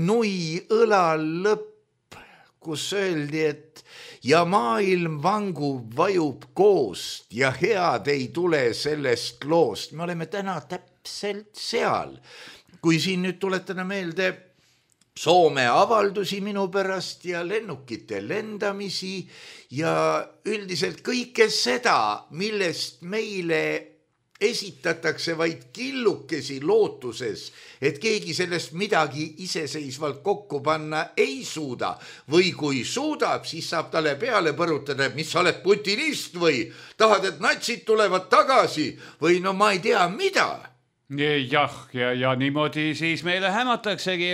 Nui õla lõpp, kus öeldi, et ja maailm vangub, vajub koost ja head ei tule sellest loost. Me oleme täna täpselt seal. Kui siin nüüd tuletada meelde Soome avaldusi minu pärast ja lennukite lendamisi ja üldiselt kõike seda, millest meile esitatakse vaid killukesi lootuses, et keegi sellest midagi iseseisvalt kokku panna ei suuda. Või kui suudab, siis saab talle peale põrutada, et mis sa oled putinist või tahad, et natsid tulevad tagasi või no ma ei tea mida. Jah, ja, ja niimoodi siis meile hämataksegi,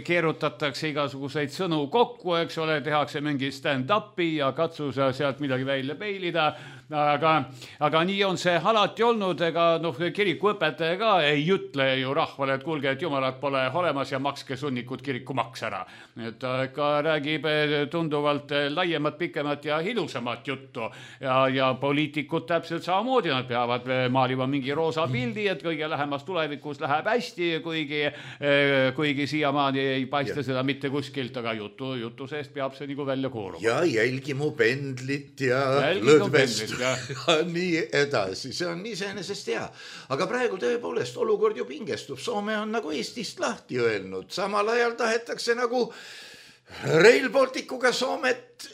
keerutatakse igasuguseid sõnu kokku, eks ole, tehakse mingi stand-upi ja katsu sealt midagi välja peilida. aga, aga nii on see alati olnud, ega noh, kirikuõpetaja ka ei ütle ju rahvale, et kuulge, et jumalat pole olemas ja makske sunnikud kirikumaks ära. Et ta ka räägib tunduvalt laiemat, pikemat ja ilusamat juttu ja, ja poliitikud täpselt samamoodi, nad peavad maalima mingi roosa pildi, et kõige lähemas tulevikus läheb hästi, kuigi, kuigi siiamaani ei paista ja. Seda mitte kuskilt, aga jutu, jutu seest peab see nagu välja kooruma. Ja jälgi mu pendlit ja lõdvest ja. Ja nii edasi, see on iseenesest hea. Aga praegu tõepoolest olukord ju pingestub, Soome on nagu Eestist lahti öelnud, samal ajal tahetakse nagu Rail Balticuga Soomet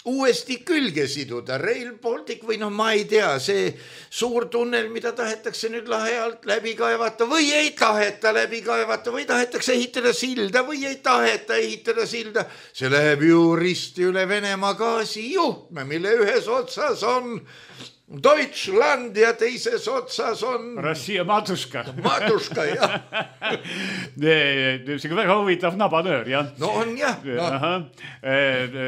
uuesti külge siduda. Rail Baltic või noh, ma ei tea, see suur tunnel, mida tahetakse nüüd lahe alt läbi kaevata või ei taheta läbi kaevata või tahetakse ehitada silda või ei taheta ehitada silda. See läheb ju risti üle Venemaa gaasijuhtme, mille ühes otsas on Deutschland ja teises otsas on Rossija matuška. Matuška, jah. See on väga huvitav nabanöör, jah. No on jah. No.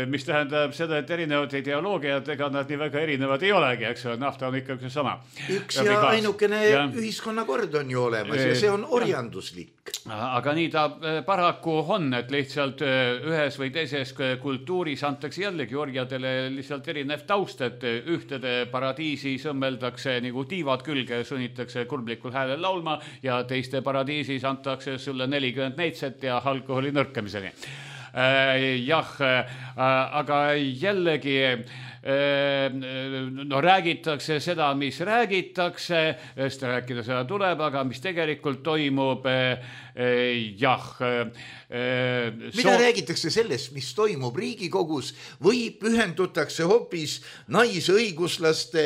Mis tähendab seda, et erinevad ideoloogiad, ega nad nii väga erinevad ei olegi, eks ole, nafta on ikkagi sama. Üks ja, ja ainukene ja. Ühiskonnakord on ju olemas ja see on orjanduslik. Aga nii ta paraku on, et lihtsalt ühes või teises kultuuris antakse jällegi orjadele lihtsalt erinev taust, et ühtede paradiisi sõmmeldakse nagu tiivad külge, sunnitakse kurblikul häälel laulma ja teiste paradiisis antakse sulle nelikümmend neitset ja alkoholi nõrkamiseni. Jah, aga jällegi no räägitakse seda, mis räägitakse, sest rääkida seda tuleb, aga mis tegelikult toimub, jah. Mida so... räägitakse sellest, mis toimub Riigikogus või pühendutakse hoopis naisõiguslaste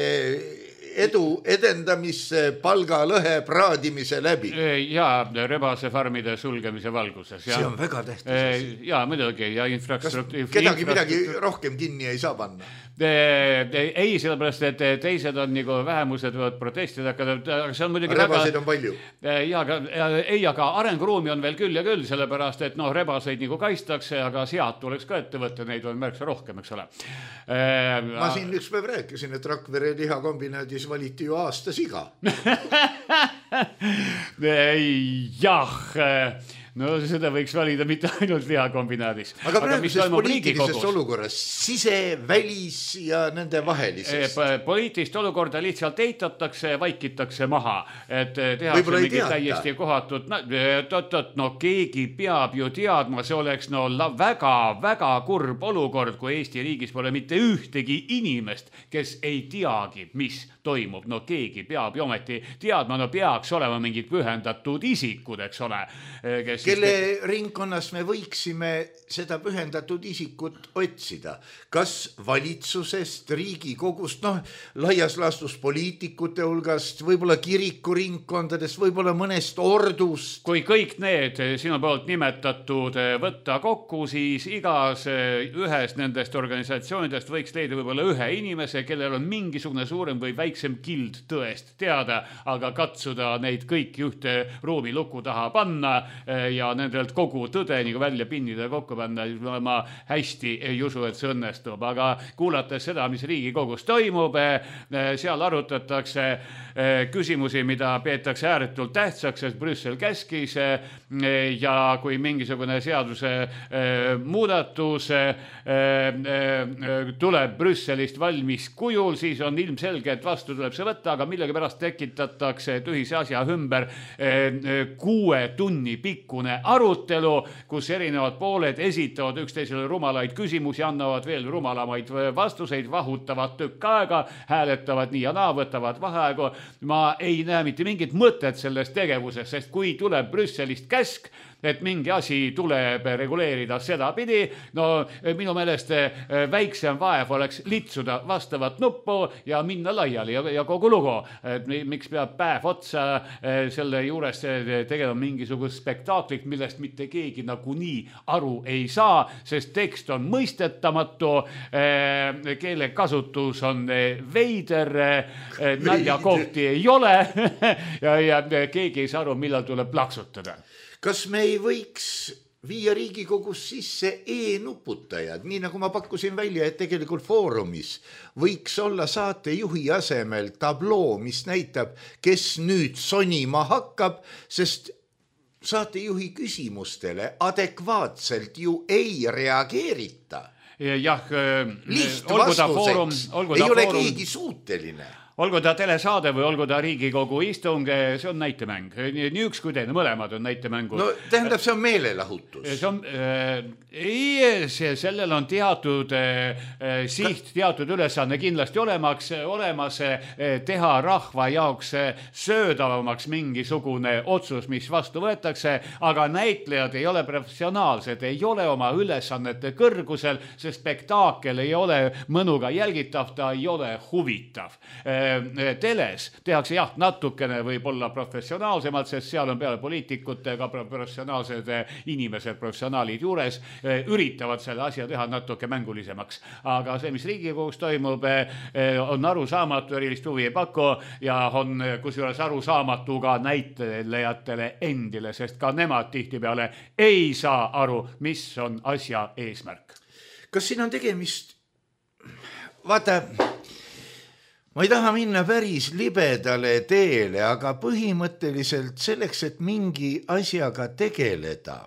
edu edendamisse palgalõhe praadimise läbi. Ja rebasefarmide sulgemise valguses. Ja. See on väga tähtis. Ja muidugi. Ja infrastruktuur... Kas kedagi midagi rohkem kinni ei saa panna? Ei, sellepärast, et teised on nagu vähemused võivad protestida, aga see on muidugi rebaseid väga... on palju. Ja, aga, ei, aga arenguruumi on veel küll ja küll, sellepärast, et noh, rebaseid nagu kaistakse, aga sead tuleks ka ette võtta, neid on märksa rohkem, eks ole. Ma siin üks päev rääkisin, et Rakvere lihakombinaadis valiti ju aasta siga. Jah, no seda võiks valida mitte ainult lihakombinaadis. Aga praeguses poliitilises olukorras, sise, välis ja nende vahelises. Poliitilist olukorda lihtsalt eitatakse, vaikitakse maha. Et tehakse mingi täiesti kohatud. No, tot, tot, no keegi peab ju teadma, see oleks no väga, väga kurb olukord, kui Eesti riigis pole mitte ühtegi inimest, kes ei teagi, mis toimub. No keegi peab ju ometi teadma, no peaks olema mingid pühendatud isikud, eks ole, kes kelle ringkonnas me võiksime seda pühendatud isikut otsida. Kas valitsusest, Riigikogust, noh, laias laastus poliitikute hulgast, võib-olla kirikuringkondadest, võib-olla mõnest ordust. Kui kõik need sinu poolt nimetatud võtta kokku, siis igas ühes nendest organisatsioonidest võiks leida võib-olla ühe inimese, kellel on mingisugune suurem või väiksem kild tõest teada, aga katsuda neid kõik ühte ruumi luku taha panna ja nendelt kogu tõde nagu välja pinnida ja kokku panna, ma hästi ei usu, et see õnnestub. Aga kuulates seda, mis Riigikogus toimub, seal arutatakse küsimusi, mida peetakse ääretult tähtsaks, sest Brüssel käskis ja kui mingisugune seaduse muudatus tuleb Brüsselist valmis kujul, siis on ilmselge, et vastu tuleb see võtta, aga millegi pärast tekitatakse tühise asja ümber kuue tunni pikkune arutelu, kus erinevad pooled esitavad üksteisele rumalaid küsimusi, annavad veel rumalamaid vastuseid, vahutavad tükk aega, hääletavad nii ja naa, võtavad vaheaegu. Ma ei näe mitte mingit mõtet selles tegevuses, sest kui tuleb Brüsselist käsk, et mingi asi tuleb reguleerida sedapidi, no minu meelest väiksem vaev oleks litsuda vastavat nuppu ja minna laiali ja, ja kogu lugu. Et miks peab päev otsa selle juures tegema mingisugust spektaaklit, millest mitte keegi nagunii aru ei saa, sest tekst on mõistetamatu, keelekasutus on veider, naljakohti ei ole ja, ja keegi ei saa aru, millal tuleb plaksutada. Kas me ei võiks viia Riigikogus sisse e-nuputajad, nii nagu ma pakkusin välja, et tegelikult Foorumis võiks olla saatejuhi asemel tabloo, mis näitab, kes nüüd sonima hakkab, sest saatejuhi küsimustele adekvaatselt ju ei reageerita. Jah, Lihtvastuseks ei ole keegi suuteline. Olgu ta telesaade või olgu ta Riigikogu istung, see on näitemäng. Nii üks kui teine, mõlemad on näitemängud. No tähendab, see on meelelahutus. See on, äh, ei, see, sellel on teatud äh, siht, teatud ülesanne kindlasti olemaks, olemas äh, teha rahva jaoks söödavamaks mingisugune otsus, mis vastu võetakse, aga näitlejad ei ole professionaalsed, ei ole oma ülesannete kõrgusel, see spektaakel ei ole mõnuga jälgitav, ta ei ole huvitav. Teles tehakse jah, natukene võib-olla professionaalsemalt, sest seal on peale poliitikutega professionaalsed inimesed, professionaalid juures, üritavad selle asja teha natuke mängulisemaks. Aga see, mis Riigikogus toimub, on arusaamatu, erilist huvi ei paku ja on kusjuures arusaamatu ka näitlejatele endile, sest ka nemad tihtipeale ei saa aru, mis on asja eesmärk. Kas siin on tegemist, vaata, ma ei taha minna päris libedale teele, aga põhimõtteliselt selleks, et mingi asjaga tegeleda,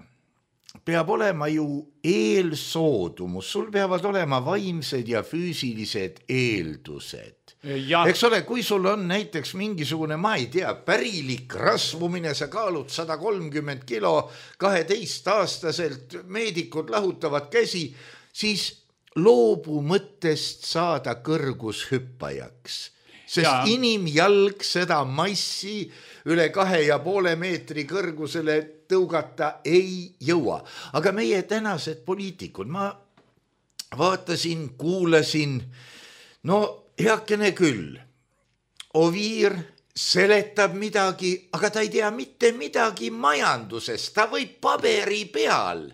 peab olema ju eelsoodumus, sul peavad olema vaimsed ja füüsilised eeldused. Ja. Eks ole, kui sul on näiteks mingisugune, ma ei tea, pärilik rasvumine, sa kaalud sada kolmkümmend kilo kaheteist aastaselt, meedikud lahutavad käsi, siis loobu mõttest saada kõrgushüppajaks, sest ja. Inimjalg seda massi üle kahe ja poole meetri kõrgusele tõugata ei jõua. Aga meie tänased poliitikud, ma vaatasin, kuulasin, no heakene küll, Oviir seletab midagi, aga ta ei tea mitte midagi majandusest, ta võib paberi peal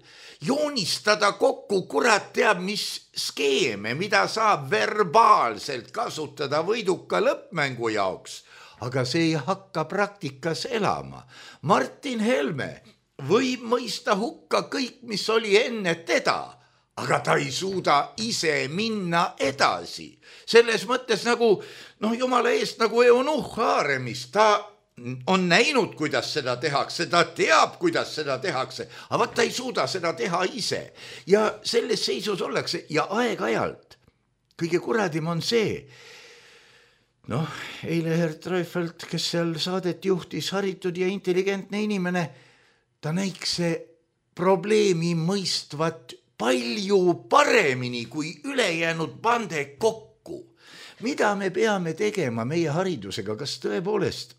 joonistada kokku, kurat teab, mis skeeme, mida saab verbaalselt kasutada võiduka lõppmängu jaoks, aga see ei hakka praktikas elama. Martin Helme võib mõista hukka kõik, mis oli enne teda, aga ta ei suuda ise minna edasi. Selles mõttes nagu, noh jumala eest, nagu Eunuch Haaremis, ta on näinud, kuidas seda tehakse, ta teab, kuidas seda tehakse, aga ta ei suuda seda teha ise. Ja selles seisus ollakse ja aeg-ajalt kõige kuradim on see, noh, eile Herr Treufelt, kes seal saadet juhtis, haritud ja intelligentne inimene, ta näiks see probleemi mõistvat palju paremini kui ülejäänud bande kokku. Mida me peame tegema meie haridusega, kas tõepoolest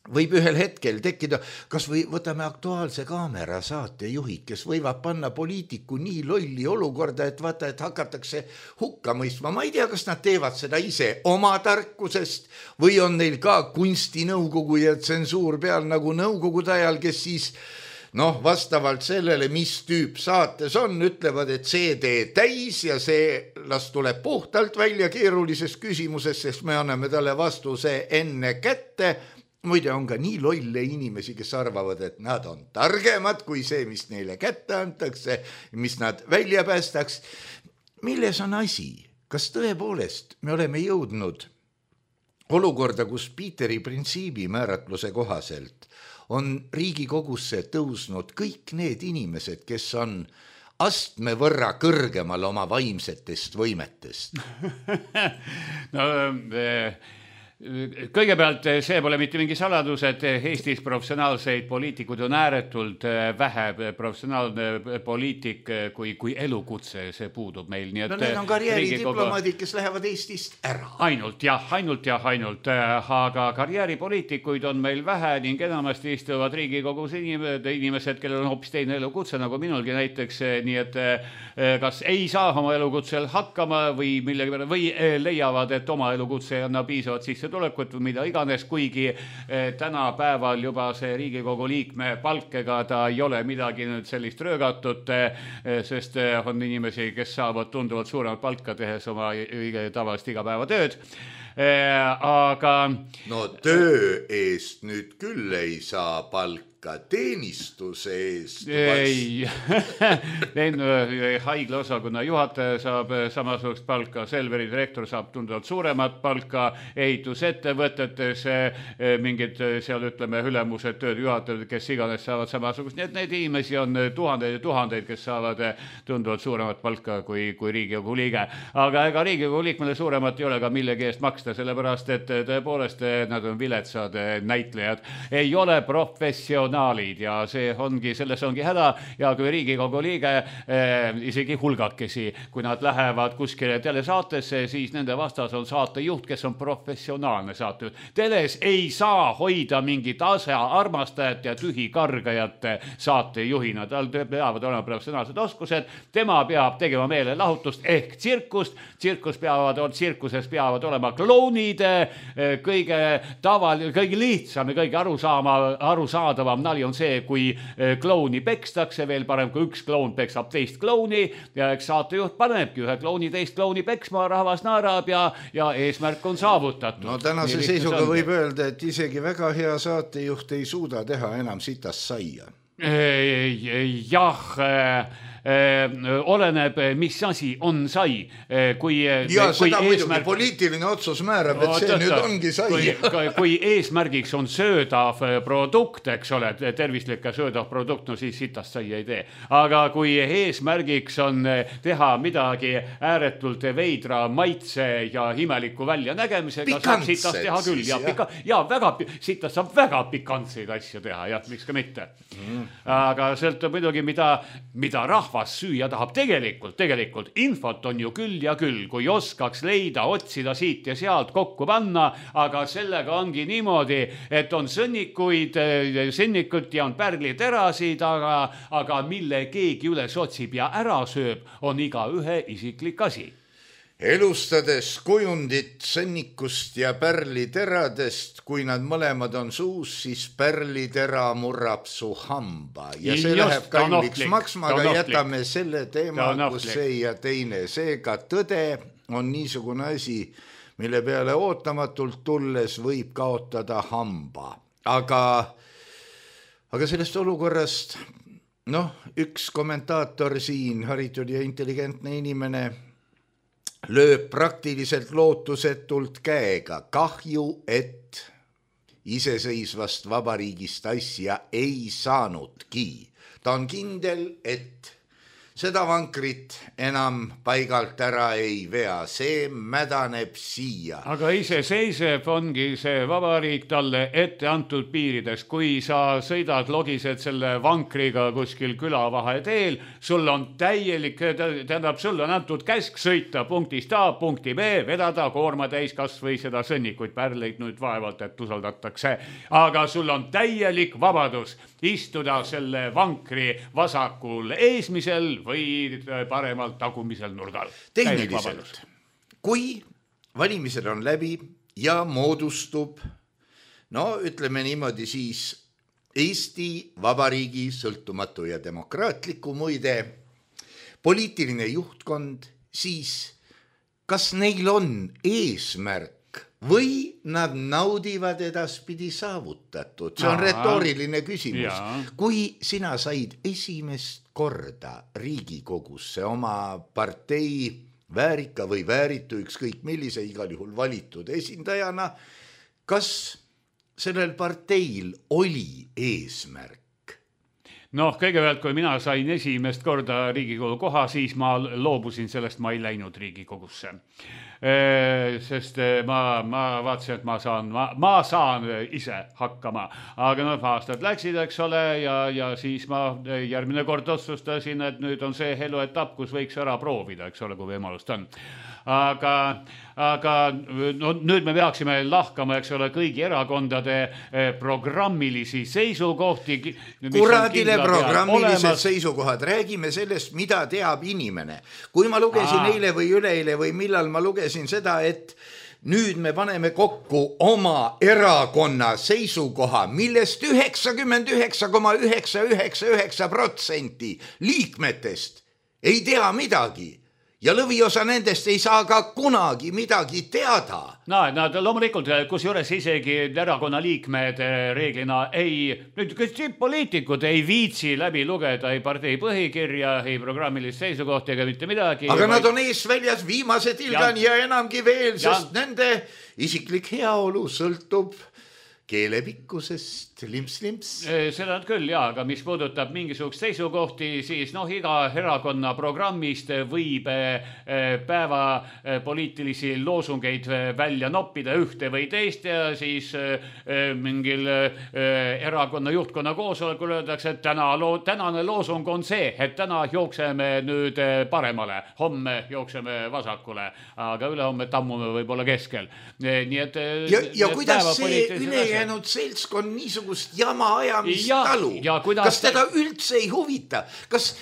võib ühel hetkel tekkida, kas või võtame Aktuaalse Kaamera saatejuhid, kes võivad panna poliitiku nii lolli olukorda, et vaata, et hakatakse hukka mõistma. Ma ei tea, kas nad teevad seda ise oma tarkusest või on neil ka kunstinõukogu ja tsensuur peal nagu nõukogude ajal, kes siis noh, vastavalt sellele, mis tüüp saates on, ütlevad, et see tee täis ja see las tuleb puhtalt välja keerulises küsimuses, sest me anname talle vastuse enne kätte. Muide on ka nii lolle inimesi, kes arvavad, et nad on targemad kui see, mis neile kätte antakse, mis nad välja päästaks. Milles on asi? Kas tõepoolest me oleme jõudnud olukorda, kus Piiteri printsiibi määratluse kohaselt on Riigikogusse tõusnud kõik need inimesed, kes on astme võrra kõrgemal oma vaimsetest võimetest? no, äh... Kõigepealt see pole mitte mingi saladus, et Eestis professionaalseid poliitikud on ääretult vähe, professionaalne poliitik kui, kui elukutse, see puudub meil. Nii et no need on karjääridiplomaadid, kes lähevad Eestist ära. Ainult jah, ainult jah, ainult, aga karjääripoliitikuid on meil vähe ning enamasti istuvad Riigikogus inimesed, kellel on hoopis teine elukutse, nagu minulgi näiteks, nii et kas ei saa oma elukutsel hakkama või, millega, või leiavad, et oma elukutse ei anna piisavat sisse tulekut või mida iganes, kuigi tänapäeval juba see Riigikogu liikme palkega ta ei ole midagi nüüd sellist röögatut, sest on inimesi, kes saavad tunduvalt suuremat palka tehes oma tavalist igapäevatööd. Aga no töö eest nüüd küll ei saa palka. palka teenistuse eest? ei, haiglaosakonna juhataja saab samasugust palka, Selveri direktor saab tunduvalt suuremat palka, ehitusettevõtetes mingid seal ütleme ülemused tööd juhatajad, kes iganes saavad samasugust, nii et neid inimesi on tuhandeid ja tuhandeid, kes saavad tunduvalt suuremat palka kui, kui Riigikogu liige. Aga ega Riigikogu liikmele suuremat ei ole ka millegi eest maksta, sellepärast et tõepoolest nad on viletsad näitlejad, ei ole professionaalid ja see ongi, selles ongi häda ja kui Riigikogu liige eh, isegi hulgakesi, kui nad lähevad kuskile telesaatesse, siis nende vastas on saatejuht, kes on professionaalne saatejuht. Teles ei saa hoida mingit asja armastajat ja tühikargajat saatejuhina, tal peavad olema professionaalsed oskused, tema peab tegema meelelahutust ehk tsirkust, tsirkus peavad, tsirkuses peavad olema klounid, kõige taval, kõige lihtsam ja kõige arusaama, arusaadavam nali on see, kui klouni pekstakse, veel parem kui üks kloun peksab teist klouni ja eks saatejuht panebki ühe klouni teist klouni peksma, rahvas naerab ja, ja eesmärk on saavutatud. No tänase seisuga võib öelda, et isegi väga hea saatejuht ei suuda teha enam sitast saia. Jah, oleneb, mis asi on sai. Kui, ja kui seda eesmärk... muidugi poliitiline otsus määrab, et see Oot, nüüd ongi sai. Kui, kui eesmärgiks on söödav produkt, eks ole, tervislik ja söödav produkt, no siis sitast sai ei tee. Aga kui eesmärgiks on teha midagi ääretult veidra maitse ja imeliku välja nägemisega, saab sitast teha küll. Ja, pika, ja väga, sitast saab väga pikantseid asju teha, jah, miks ka mitte. Mm. Aga sõltub muidugi, mida, mida rahvas süüa tahab tegelikult, tegelikult infot on ju küll ja küll, kui oskaks leida, otsida siit ja sealt kokku panna, aga sellega ongi niimoodi, et on sõnnikuid, sõnnikut ja on pärliterasid, aga, aga mille keegi üles otsib ja ära sööb, on iga ühe isiklik asi. Elustades kujundit sõnnikust ja pärliteradest, kui nad mõlemad on suus, siis pärlitera murrab su hamba ja see Just, läheb kalliks maksma, aga jätame selle teema, kus see ja teine. Seega tõde on niisugune asi, mille peale ootamatult tulles võib kaotada hamba. Aga, aga sellest olukorrast, noh, üks kommentaator siin, haritud ja intelligentne inimene, lööb praktiliselt lootusetult käega. Kahju, et iseseisvast vabariigist asja ei saanudki. Ta on kindel, et seda vankrit enam paigalt ära ei vea, see mädaneb siia. Aga iseseisev ongi see vabariik talle ette antud piirides. Kui sa sõidad, logised selle vankriga kuskil külavahe teel, sul on täielik, tähendab, sul on antud käsk sõita punktist A, punkti B, vedada koorma täis kas või seda sõnnikuid, pärleid nüüd vaevalt, et usaldatakse. Aga sul on täielik vabadus istuda selle vankri vasakul eesmisel või paremalt tagumisel nurgal. Tehniliselt, kui valimised on läbi ja moodustub, no ütleme niimoodi siis Eesti Vabariigi sõltumatu ja demokraatliku muide poliitiline juhtkond, siis kas neil on eesmärk või nad naudivad edaspidi saavutatud? See on retooriline küsimus. Ja. Kui sina said esimest korda Riigikogusse oma partei väärika või vääritu, ükskõik millise, igal juhul valitud esindajana, kas sellel parteil oli eesmärk? Noh, kõigepealt, kui mina sain esimest korda Riigikogu koha, siis ma loobusin sellest, ma ei läinud Riigikogusse. Sest ma, ma vaatasin, et ma saan, ma, ma saan ise hakkama. Aga noh, aastad läksid, eks ole, ja, ja siis ma järgmine kord otsustasin, et nüüd on see eluetapp, kus võiks ära proovida, eks ole, kui võimalust on. Aga, aga no, nüüd me peaksime lahkama, eks ole, kõigi erakondade programmilisi seisukohti. Kuradile programmilised seisukohad. Räägime sellest, mida teab inimene. Kui ma lugesin Aa. eile või üleeile või millal ma lugesin seda, et nüüd me paneme kokku oma erakonna seisukoha, millest üheksakümmend üheksa koma üheksa üheksa üheksa protsenti liikmetest ei tea midagi. ja lõviosa nendest ei saa ka kunagi midagi teada. No, nad loomulikult, kus juures isegi erakonna liikmed reeglina ei, nüüd poliitikud ei viitsi läbi lugeda ei partei põhikirja, ei programmilist seisukohti ega mitte midagi. Aga vaid... nad on ees väljas viimase tilgani ja, ja enamgi veel, sest ja. Nende isiklik heaolu sõltub keelepikkusest, limps-limps. Seda on küll, jaa, aga mis puudutab mingisugust seisukohti, siis noh, iga erakonna programmist võib päeva poliitilisi loosungeid välja noppida ühte või teist ja siis mingil erakonna juhtkonna koosolekul öeldakse, et täna loo, tänane loosung on see, et täna jookseme nüüd paremale, homme jookseme vasakule, aga ülehomme tammume võib-olla keskel. Nii et ja, ja kuidas see üle jäänud seltskond niisugust jama ajamist ja, talu. Kuidas... Kas teda üldse ei huvita? Kas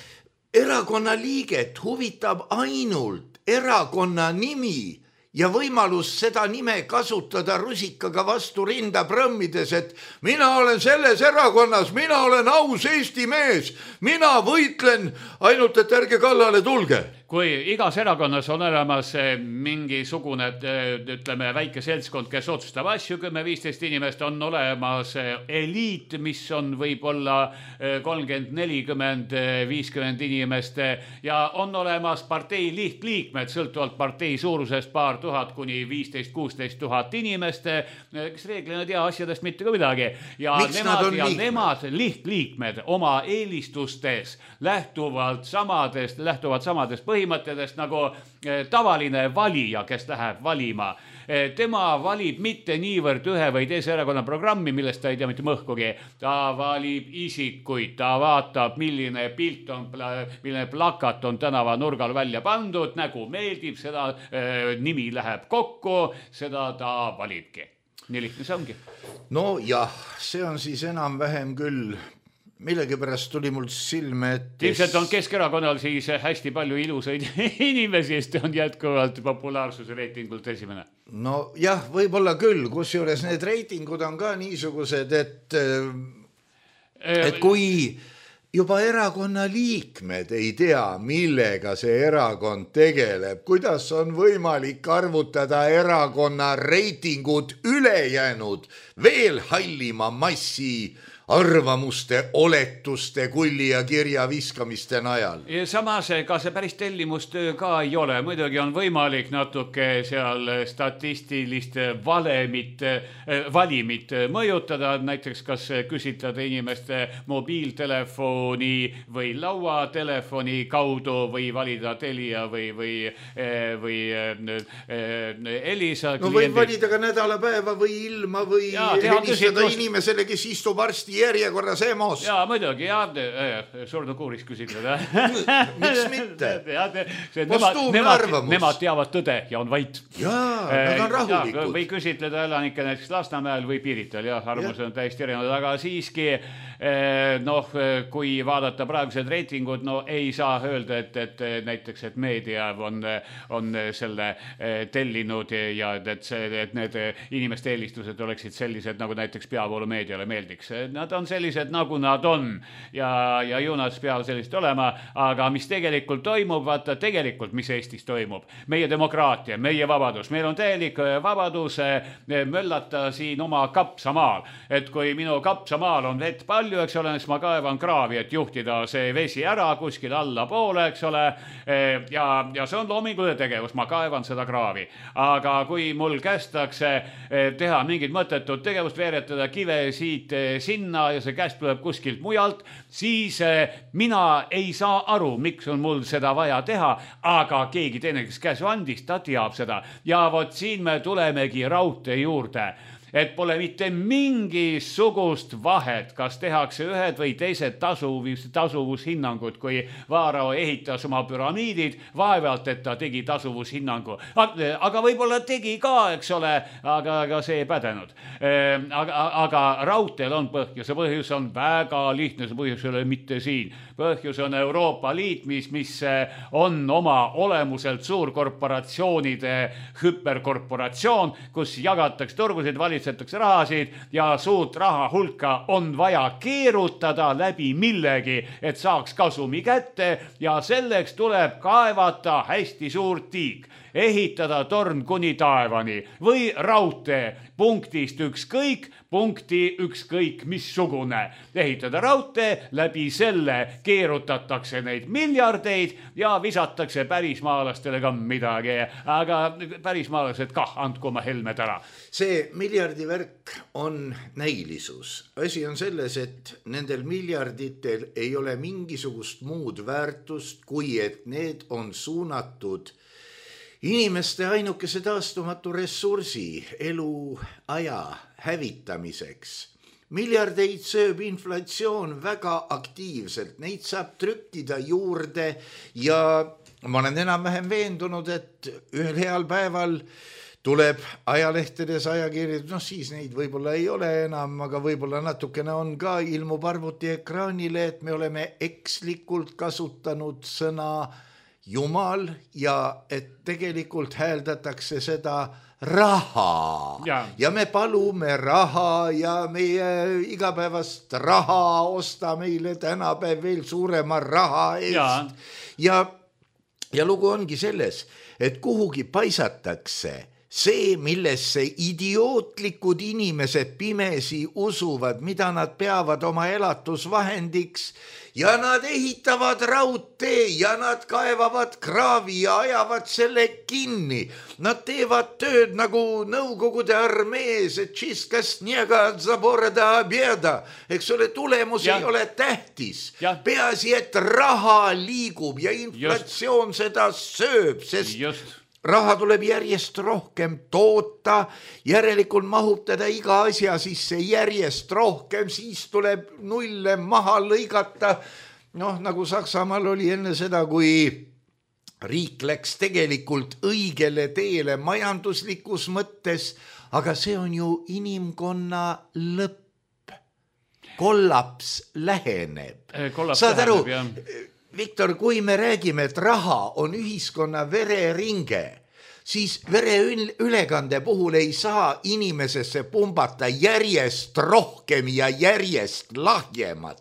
erakonna liiget huvitab ainult erakonna nimi ja võimalus seda nime kasutada rusikaga vastu rinda prõmmides, et mina olen selles erakonnas, mina olen aus Eesti mees, mina võitlen ainult, et ärge kallale tulge. Kui igas erakonnas on olemas mingisugune, ütleme, väike seltskond, kes otsustab asju, kümme viisteist inimest, on olemas eliit, mis on võib-olla kolmkümmend nelikümmend viiskümmend inimest ja on olemas partei lihtliikmed, sõltuvalt partei suurusest paar tuhat kuni viisteist kuusteist tuhat inimest, kes reeglina tea asjadest mitte ka midagi. Ja Miks nemad, nad ja liikmed? nemad lihtliikmed oma eelistustes lähtuvalt samadest, lähtuvalt samadest põhimõttedest nagu tavaline valija, kes läheb valima. Tema valib mitte niivõrd ühe või teise erakonna programmi, millest ta ei tea mitte mõhkugi. Ta valib isikuid, ta vaatab, milline pilt on, milline plakat on tänava nurgal välja pandud, nägu meeldib, seda nimi läheb kokku, seda ta valibki. Nii lihtne see ongi. No jah, see on siis enam-vähem küll. Millegipärast tuli mul silme, et... Ilmselt on Keskerakonnal siis hästi palju ilusaid inimesi, sest on jätkuvalt populaarsuse reitingult esimene. No jah, võib-olla küll, kusjuures need reitingud on ka niisugused, et, et kui juba erakonna liikmed ei tea, millega see erakond tegeleb, kuidas on võimalik arvutada erakonna reitingud ülejäänud veel hallima massi arvamuste, oletuste, kulli ja kirja viskamiste najal. Ja samas, ka see päris tellimustöö ka ei ole. Muidugi on võimalik natuke seal statistilist valemit, valimit mõjutada. Näiteks kas küsitleda inimeste mobiiltelefoni või lauatelefoni kaudu või valida Telia või, või, või Elisa. No võib valida ka nädalapäeva või ilma või ja, helistada inimesele, kes istub arsti järjekorras EMO-s. Jaa, muidugi, jah, surnu kuuris küsitleda. Miks mitte? Nemad, nemad, nemad teavad tõde ja on vait. Jaa, nad on rahulikud. Või küsitleda elanike näiteks Lasnamäel või Piirital, jah, arvamus on täiesti erinevad, aga siiski, noh, kui vaadata praegused reitingud, no ei saa öelda, et, et näiteks, et meedia on, on selle tellinud ja et, see, et need inimeste eelistused oleksid sellised, nagu näiteks peavoolumeediale meeldiks. Nad on sellised, nagu nad on ja, ja ju nad peavad sellist olema, aga mis tegelikult toimub, vaata tegelikult, mis Eestis toimub. Meie demokraatia, meie vabadus, meil on täielik vabadus möllata siin oma kapsamaal, et kui minu kapsamaal on vett palju, eks ole, siis ma kaevan kraavi, et juhtida see vesi ära kuskil alla poole, eks ole, ja, ja see on loominguline tegevus, ma kaevan seda kraavi, aga kui mul kästakse teha mingit mõttetut tegevust, veeretada kive siit sinna ja see käest tuleb kuskilt mujalt, siis mina ei saa aru, miks on mul seda vaja teha, aga keegi teine, kes käsu andis, ta teab seda. Ja vot siin me tulemegi raudtee juurde, et pole mitte mingisugust vahet, kas tehakse ühed või teised tasuvus, tasuvushinnangud, kui Vaarao ehitas oma püramiidid, vaevalt, et ta tegi tasuvushinnangu. Aga võib-olla tegi ka, eks ole, aga, aga see ei pädenud. Aga, aga raudteel on põhjus, ja põhjus on väga lihtne, see põhjus ei ole mitte siin. Põhjus on Euroopa Liit, mis, mis on oma olemuselt suurkorporatsioonide hüperkorporatsioon, kus jagatakse turgusid, valitseb valitsetakse rahasid ja suurt raha hulka on vaja keerutada läbi millegi, et saaks kasumi kätte ja selleks tuleb kaevata hästi suur tiik, ehitada torn kuni taevani või raudtee punktist ükskõik, punkti ükskõik missugune. Ehitada raudtee, läbi selle keerutatakse neid miljardeid ja visatakse pärismaalastele ka midagi. Aga pärismaalased kah, andku oma helmed ära. See miljardivärk on näilisus. Asi on selles, et nendel miljarditel ei ole mingisugust muud väärtust, kui et need on suunatud inimeste ainukese taastumatu ressursi eluaja hävitamiseks. Miljardeid sööb inflatsioon väga aktiivselt, neid saab trükkida juurde ja ma olen enam-vähem veendunud, et ühel heal päeval tuleb ajalehtedes ajakirjad, noh siis neid võib-olla ei ole enam, aga võib-olla natukene on ka, ilmub arvuti ekraanile, et me oleme ekslikult kasutanud sõna Jumal ja et tegelikult hääldatakse seda raha ja. ja me palume raha ja meie igapäevast raha osta meile tänapäev veel suurema raha eest. Ja, ja, ja lugu ongi selles, et kuhugi paisatakse see, millesse idiootlikud inimesed pimesi usuvad, mida nad peavad oma elatusvahendiks ja nad ehitavad raudtee ja nad kaevavad kraavi ja ajavad selle kinni. Nad teevad tööd nagu Nõukogude armees, et čiska snega zaborda obeda. Eks ole, tulemus ja. ei ole tähtis. Ja. Peaasi, et raha liigub ja inflatsioon Just. seda sööb, sest Just. raha tuleb järjest rohkem toota, järelikult mahub teda iga asja sisse järjest rohkem, siis tuleb nulle maha lõigata. Noh, nagu Saksamaal oli enne seda, kui riik läks tegelikult õigele teele majanduslikus mõttes, aga see on ju inimkonna lõpp. Kollaps läheneb. Kollaps Saad aru, läheneb, jah. Viktor, kui me räägime, et raha on ühiskonna vereringe, siis vereülekande puhul ei saa inimesesse pumbata järjest rohkem ja järjest lahjemat.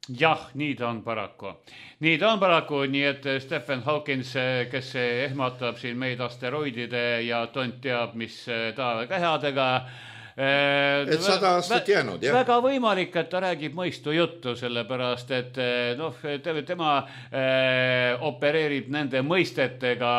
Jah, nii ta on paraku. Nii ta on paraku, nii et Stephen Hawkins, kes ehmatab siin meid asteroidide ja tont teab, mis taevakehadega, et sada aastat jäänud, jah. Väga võimalik, et ta räägib mõistu juttu, sellepärast, et noh, tema eh, opereerib nende mõistetega,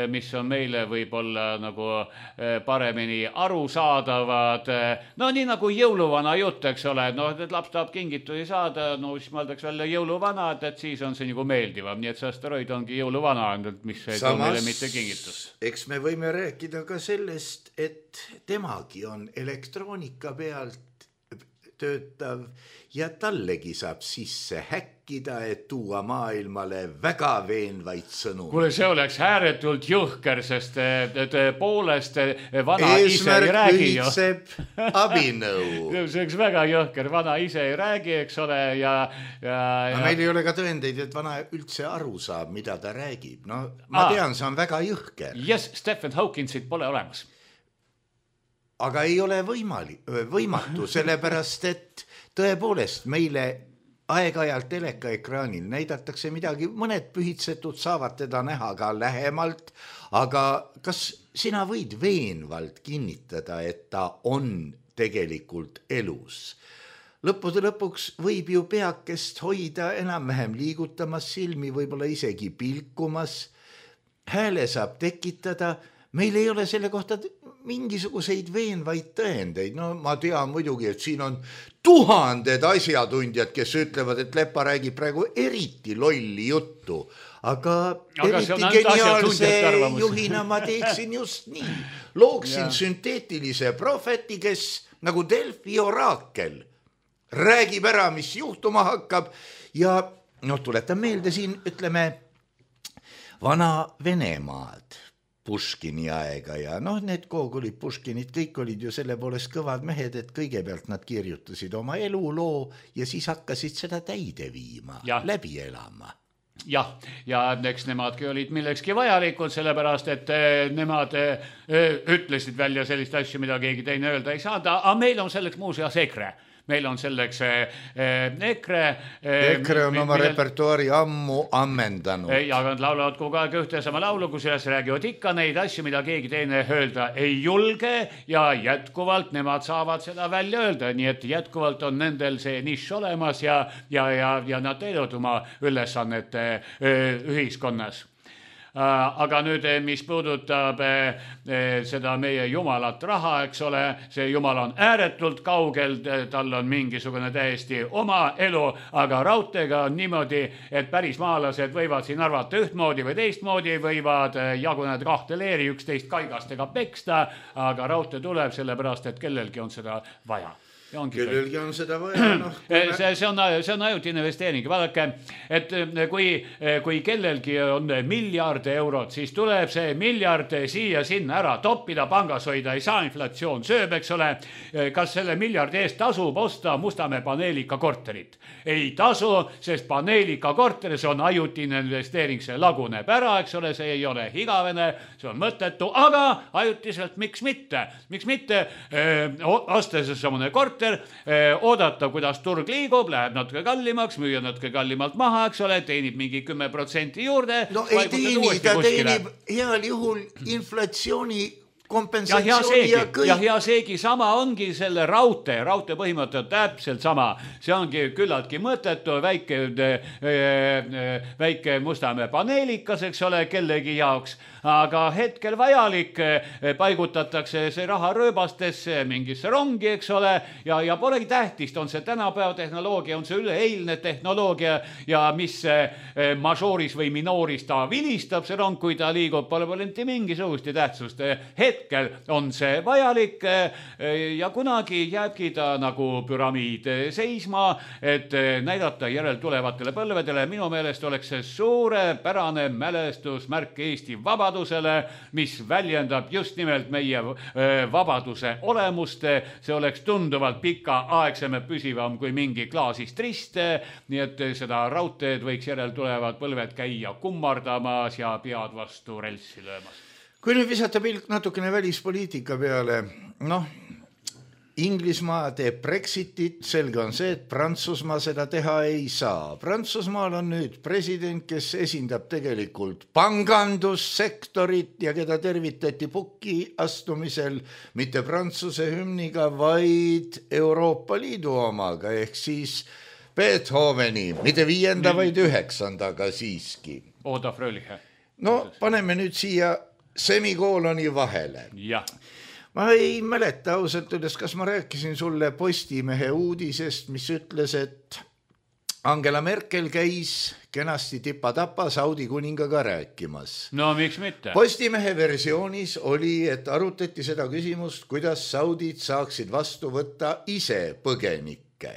mis on meile võib-olla nagu eh, paremini arusaadavad. No nii nagu jõuluvana jutt, eks ole, no et laps tahab kingitusi saada, no siis mõeldaks välja jõuluvana, et siis on see nagu meeldivam, nii et see asteroid ongi jõuluvana, mis ei too meile mitte kingitus. Eks me võime rääkida ka sellest, et temagi on elektroonika pealt töötav ja tallegi saab sisse häkkida, et tuua maailmale väga veenvaid sõnu. Kuule, see oleks ääretult juhker, sest poolest vana Eesmärk ise ei räägi ju. Eesmärk abinõu. See oleks väga juhker, vana ise ei räägi, eks ole, ja... ja, ja... meil ei ole ka tõendeid, et vana üldse aru saab, mida ta räägib. No ma Aa. tean, see on väga juhker. Yes, Stephen Hawkinsit pole olemas. Aga ei ole võimali, võimatu, sellepärast, et tõepoolest meile aeg-ajalt telekaekraanil näidatakse midagi, mõned pühitsetud saavad teda näha ka lähemalt, aga kas sina võid veenvalt kinnitada, et ta on tegelikult elus? Lõppude lõpuks võib ju peakest hoida enam-vähem liigutamas, silmi võib-olla isegi pilkumas, hääle saab tekitada, meil ei ole selle kohta mingisuguseid veenvaid tõendeid. No ma tean muidugi, et siin on tuhanded asjatundjad, kes ütlevad, et Lepa räägib praegu eriti lolli juttu, aga, aga eriti geniaalse juhina ma teeksin just nii. Looksin sünteetilise profeti, kes nagu Delfi oraakel räägib ära, mis juhtuma hakkab ja noh, tuletan meelde siin, ütleme, vana Venemaad, Puškini aega ja noh, need koogulid Puškinid, kõik olid ju selle poolest kõvad mehed, et kõigepealt nad kirjutasid oma eluloo ja siis hakkasid seda täide viima, ja. läbi elama. jah, ja eks nemadki olid millekski vajalikud, sellepärast, et nemad ütlesid välja sellist asju, mida keegi teine öelda ei saada, aga meil on selleks muuseas EKRE. Meil on selleks EKRE. EKRE on oma millel... repertuaari ammu ammendanud. Ja nad laulavad kogu aeg ühte sama laulu, kus üles räägivad ikka neid asju, mida keegi teine öelda ei julge ja jätkuvalt nemad saavad seda välja öelda. Nii et jätkuvalt on nendel see nišš olemas ja, ja, ja, ja nad teevad oma ülesannete ühiskonnas. Aga nüüd, mis puudutab seda meie jumalat raha, eks ole, see jumal on ääretult kaugel, tal on mingisugune täiesti oma elu, aga raudteega on niimoodi, et päris maalased võivad siin arvata ühtmoodi või teistmoodi, võivad jaguneda kahte leeri, üksteist kaigastega peksta, aga raudtee tuleb sellepärast, et kellelgi on seda vaja. Kellelgi on seda vaja, noh. See, see on, see on ajutine investeering. Vaadake, et kui, kui kellelgi on miljard eurot, siis tuleb see miljard siia sinna ära toppida, pangas hoida, ei saa, inflatsioon sööb, eks ole. Kas selle miljardi eest tasub osta Mustamäe paneelika korterit? Ei tasu, sest paneelika korteris on ajutine investeering, see laguneb ära, eks ole, see ei ole igavene, see on mõttetu, aga ajutiselt miks mitte? Miks mitte osta see samune korter, oodata, kuidas turg liigub, läheb natuke kallimaks, müüa natuke kallimalt maha, eks ole, teenib mingi kümme protsenti juurde. No ei teeni, ta teenib heal juhul inflatsiooni kompensatsiooni ja, ja kõik. Ja hea seegi sama ongi selle raudtee, raudtee põhimõte on täpselt sama. See ongi küllaltki mõttetu, väike, väike Mustamäe paneelikas, eks ole, kellegi jaoks, aga hetkel vajalik, paigutatakse see raha rööbastesse, mingisse rongi, eks ole, ja, ja polegi tähtist, on see tänapäeva tehnoloogia, on see üleeilne tehnoloogia ja mis mažooris või minooris ta vilistab, see rong, kui ta liigub, pole pole mingisugust tähtsust. Hetkel on see vajalik ja kunagi jääbki ta nagu püramiid seisma, et näidata järel tulevatele põlvedele. Minu meelest oleks see suurepärane mälestusmärk Eesti vabadusele, mis väljendab just nimelt meie vabaduse olemust. See oleks tunduvalt pikaaegsem püsivam kui mingi klaasist rist, nii et seda raudteed võiks järel tulevad põlved käia kummardamas ja pead vastu relsi löömas. Kui nüüd visata pilk natukene välispoliitika peale, noh, Inglismaa teeb Brexitit, selge on see, et Prantsusmaa seda teha ei saa. Prantsusmaal on nüüd president, kes esindab tegelikult pangandussektorit ja keda tervitati pukki astumisel mitte Prantsuse hümniga, vaid Euroopa Liidu omaga, ehk siis Beethoveni, mitte viienda, vaid üheksandaga siiski. Oda Fröliche. No, paneme nüüd siia semikooloni vahele. Jah. Ma ei mäleta ausalt üles, kas ma rääkisin sulle Postimehe uudisest, mis ütles, et Angela Merkel käis kenasti tipa-tapa Saudi kuningaga rääkimas. No miks mitte? Postimehe versioonis oli, et arutati seda küsimust, kuidas Saudid saaksid vastu võtta ise põgenikke.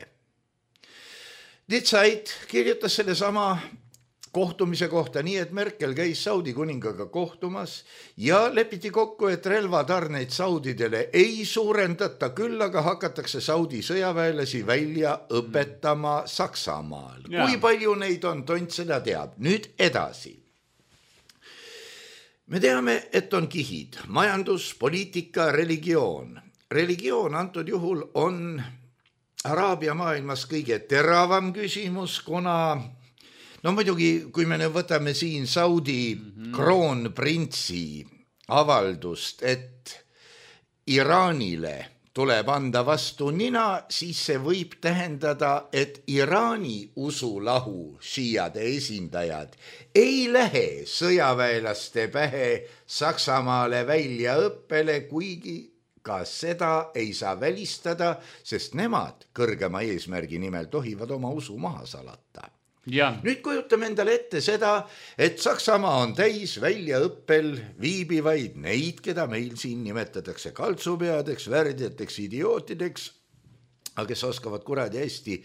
Die Zeit kirjutas selle sama kohtumise kohta nii, et Merkel käis Saudi kuningaga kohtumas ja lepiti kokku, et relvatarneid Saudidele ei suurendata, küll aga hakatakse Saudi sõjaväelasi välja õpetama Saksamaal. Ja. Kui palju neid on, tont seda teab. Nüüd edasi. Me teame, et on kihid. Majandus, poliitika, religioon. Religioon antud juhul on Araabia maailmas kõige teravam küsimus, kuna no muidugi, kui me nüüd võtame siin Saudi mm-hmm. kroonprintsi avaldust, et Iraanile tuleb anda vastu nina, siis see võib tähendada, et Iraani usulahu šiiade esindajad ei lähe sõjaväelaste pähe Saksamaale välja õppele, kuigi ka seda ei saa välistada, sest nemad kõrgema eesmärgi nimel tohivad oma usu maha salata. Ja. Nüüd kujutame endale ette seda, et Saksamaa on täis väljaõppel viibivaid neid, keda meil siin nimetatakse kaltsupeadeks, värdjateks, idiootideks, aga kes oskavad kuradi hästi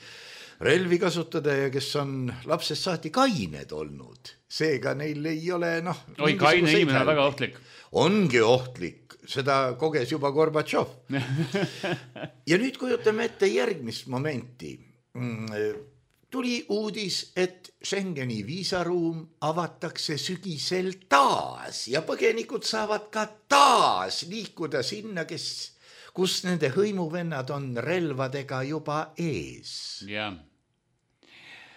relvi kasutada ja kes on lapsest saati kained olnud. Seega neil ei ole, noh... Oi, kaine inimene on väga ohtlik. Ongi ohtlik, seda koges juba Gorbatšov. Ja nüüd kujutame ette järgmist momenti. tuli uudis, et Schengeni viisaruum avatakse sügisel taas ja põgenikud saavad ka taas liikuda sinna, kes, kus nende hõimuvennad on relvadega juba ees. jah.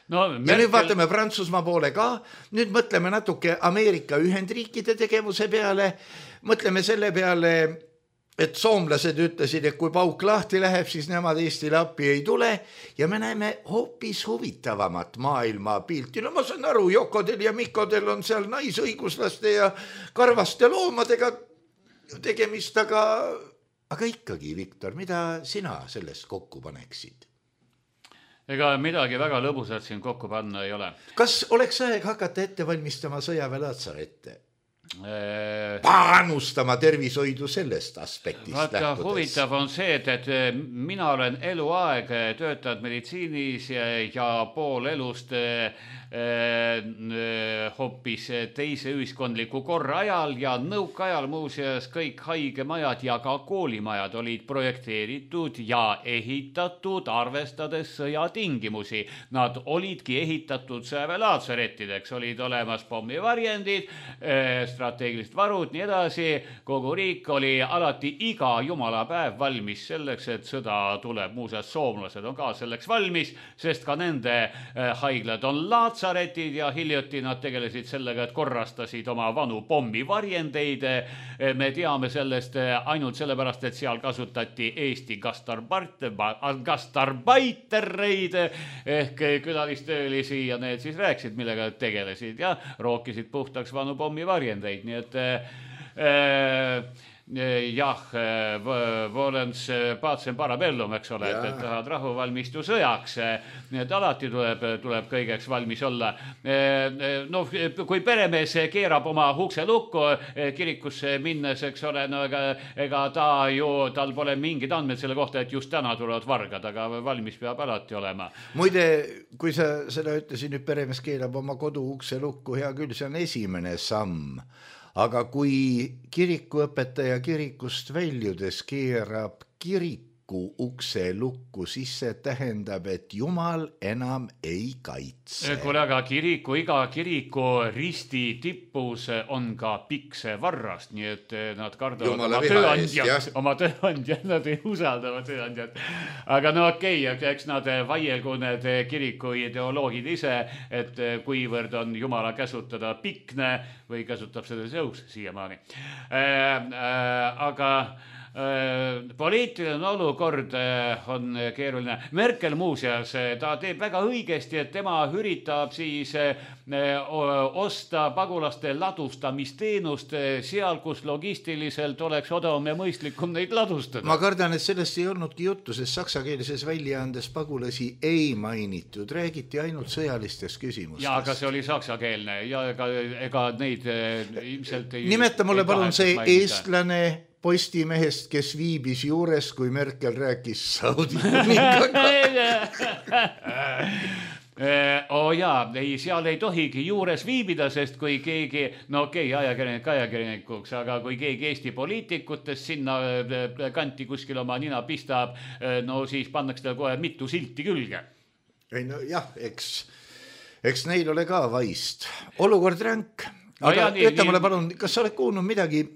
No, ja Merkel... nüüd vaatame Prantsusmaa poole ka, nüüd mõtleme natuke Ameerika Ühendriikide tegevuse peale, mõtleme selle peale, et soomlased ütlesid, et kui pauk lahti läheb, siis nemad Eestile appi ei tule ja me näeme hoopis huvitavamat maailma pilti. No ma saan aru, Jokodel ja Mikodel on seal naisõiguslaste ja karvaste loomadega tegemist, aga, aga ikkagi, Viktor, mida sina sellest kokku paneksid? Ega midagi väga lõbusat siin kokku panna ei ole. Kas oleks aeg hakata ette valmistama sõjaväelatsarette? Panustama tervishoidu sellest aspektist Vaata, lähtudes. Huvitav on see, et, et mina olen eluaeg töötanud meditsiinis ja, ja pool elust äh, hoopis teise ühiskondliku korra ajal ja nõukaajal muuseas kõik haigemajad ja ka koolimajad olid projekteeritud ja ehitatud arvestades sõjatingimusi. Nad olidki ehitatud sõjaväelaatsarettideks, olid olemas pommivarjendid, strateegilised varud, nii edasi. Kogu riik oli alati iga jumalapäev valmis selleks, et sõda tuleb. Muuseas, soomlased on ka selleks valmis, sest ka nende haiglad on laatsaretid ja hiljuti nad tegelesid sellega, et korrastasid oma vanu pommivarjendeid. Me teame sellest ainult sellepärast, et seal kasutati Eesti gastarbeitereid ehk külalistöölisi ja need siis rääkisid, millega tegelesid ja rookisid puhtaks vanu pommivarjendeid. Nii et äh, jah, volens paatsen parabellum, eks ole, et, et tahad rahu valmistu sõjaks. Nii et alati tuleb, tuleb kõigeks valmis olla. No, kui peremees keerab oma ukse lukku kirikusse minnes, eks ole, no ega, ega ta ju, tal pole mingid andmed selle kohta, et just täna tulevad vargad, aga valmis peab alati olema. Muide, kui sa seda ütlesid, nüüd peremees keerab oma kodu ukse lukku, hea küll, see on esimene samm. Aga kui kirikuõpetaja kirikust väljudes keerab kiriku ukse lukku, siis see tähendab, et Jumal enam ei kaitse. Kuule, aga kiriku, iga kiriku risti tippus on ka pikse varrast, nii et nad kardavad Jumala oma tööandjad, oma tööandjad, nad ei usalda oma tööandjad. Aga no okei, okay, eks nad vaielgu need kiriku ideoloogid ise, et kuivõrd on Jumala käsutada pikne või käsutab seda Zeus siiamaani. Äh, äh, aga poliitiline olukord on keeruline. Merkel muuseas, ta teeb väga õigesti, et tema üritab siis osta pagulaste ladustamisteenust seal, kus logistiliselt oleks odavam ja mõistlikum neid ladustada. Ma kardan, et sellest ei olnudki juttu, sest saksakeelses väljaandes pagulasi ei mainitud, räägiti ainult sõjalistest küsimustest. Ja, aga see oli saksakeelne ja ega, ega neid ilmselt ei... Nimeta mulle palun see eestlane postimehest, kes viibis juures, kui Merkel rääkis Saudi kuningaga. Oh jaa, ei, seal ei tohigi juures viibida, sest kui keegi, no okei, okay, ajakirjanik ajakirjanikuks, aga kui keegi Eesti poliitikutest sinna kanti kuskil oma nina pistab, no siis pannakse ta kohe mitu silti külge. Ei no jah, eks, eks neil ole ka vaist. Olukord ränk. Aga no, ütle mulle palun, kas sa oled kuulnud midagi,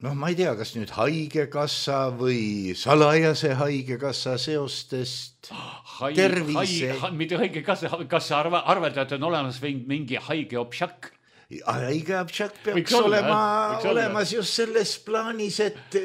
noh, ma ei tea, kas nüüd haigekassa või salajase haigekassa seostest Hai, tervise... Hai, mitte haigekassa, kas sa arva, arvata, et on olemas mingi haige obšak? Haige obšak peaks Võiks olema olla, olemas just selles plaanis, et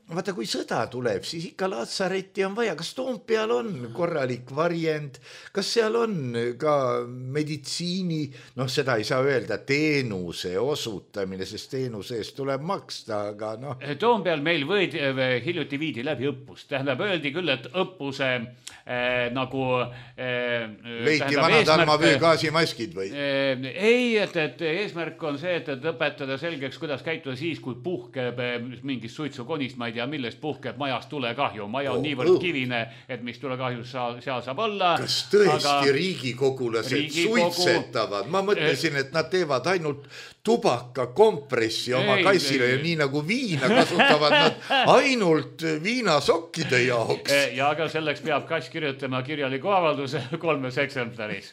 vaata, kui sõda tuleb, siis ikka laatsaretti on vaja. Kas Toompeal on korralik varjend? Kas seal on ka meditsiini, noh, seda ei saa öelda, teenuse osutamine, sest teenuse eest tuleb maksta, aga noh. Toompeal meil võidi, hiljuti viidi läbi õppus. Tähendab, öeldi küll, et õppuse äh, nagu... Äh, leiti vanad armavöögaasimaskid või? Äh, ei, et, et eesmärk on see, et, et õpetada selgeks, kuidas käituda siis, kui puhkeb mingist suitsukonist, ma ei tea, millest puhkeb majas tulekahju. Maja on oh, niivõrd oh. kivine, et mis tulekahjus seal, seal saab olla. Kas tõesti aga... riigikogulased Riigikogu... suitsetavad? Ma mõtlesin, et nad teevad ainult tubaka kompressi oma ei, kassile ei, ja nii nagu viina kasutavad nad ainult viinasokkide jaoks. Ja aga selleks peab kass kirjutama kirjaliku avalduse kolmes eksemplaris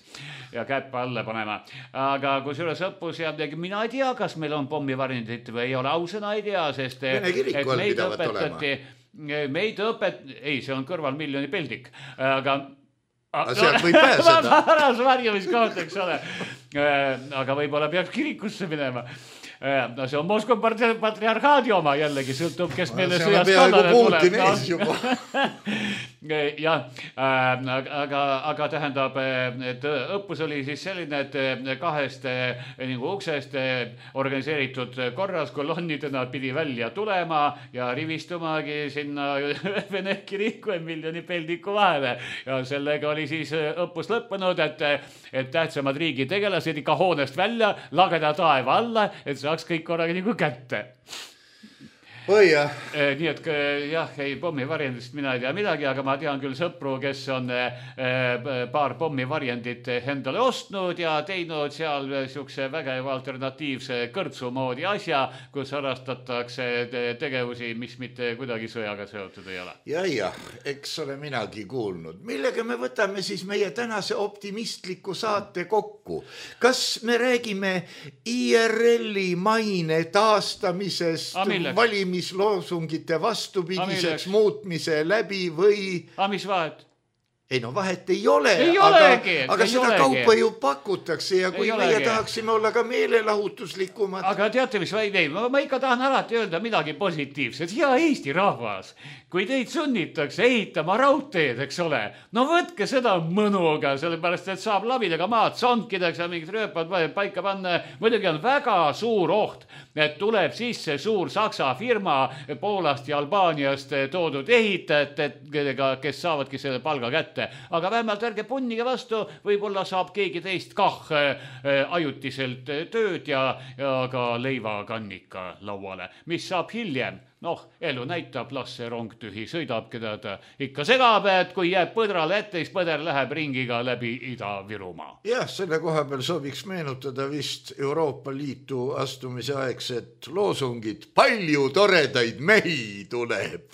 ja käppa alla panema. Aga kui sulle õppus ja mina ei tea, kas meil on pommivarjendit või ei ole, ausõna ei tea, sest Vene kiriku all pidavat olema. Meid õpet... Ei, see on kõrval miljoni peldik. Aga aga sealt võib pääseda. Varas varjumiskoht, eks ole. Aga võib-olla peaks kirikusse minema. No see on Moskva patriarhaadi oma jällegi, sõltub, kes meile sõjast kallale tuleb. Ja, aga, aga tähendab, et õppus oli siis selline, et kahest nagu uksest organiseeritud korras kolonnidena pidi välja tulema ja rivistumagi sinna Vene kiriku ja miljoni peldiku vahele. Ja sellega oli siis õppus lõppenud, et, et tähtsamad riigi tegelased ikka hoonest välja, lageda taeva alla, et saaks kõik korraga nagu kätte. Oi jah. Nii et jah, ei pommivarjendist mina ei tea midagi, aga ma tean küll sõpru, kes on paar pommivarjendit endale ostnud ja teinud seal siukse vägeva alternatiivse kõrtsu moodi asja, kus harrastatakse tegevusi, mis mitte kuidagi sõjaga seotud ei ole. Ja, ja, eks ole minagi kuulnud. Millega me võtame siis meie tänase optimistliku saate kokku? Kas me räägime I R L-i maine taastamisest, valimisest, mis loosungite vastupidiseks muutmise läbi või... A mis vahet? Ei no vahet ei ole, ei aga, olegi, aga ei seda olegi. Kaupa ju pakutakse ja kui ei meie olegi. Tahaksime olla ka meelelahutuslikumad. Aga teate, mis vaid ei, ma, ma ikka tahan alati öelda midagi positiivset. Hea Eesti rahvas, kui teid sunnitakse ehitama raudteed, eks ole, no võtke seda mõnuga, sellepärast, et saab labidega maad sonkideks ja mingid rööpad paika panna. Muidugi on väga suur oht, et tuleb sisse suur Saksa firma Poolast ja Albaaniast toodud ehitajad, kes saavadki selle palga kätte. Aga vähemalt ärge punnige vastu, võib-olla saab keegi teist kah ajutiselt tööd ja, ja ka leivakannika lauale. Mis saab hiljem? Noh, elu näitab, las see rong tühi sõidab, keda ta ikka segab, et kui jääb põdrale ette, siis põder läheb ringiga läbi Ida-Virumaa. Jah, selle koha peal sooviks meenutada vist Euroopa Liitu astumise aegset loosungit. Palju toredaid mehi tuleb!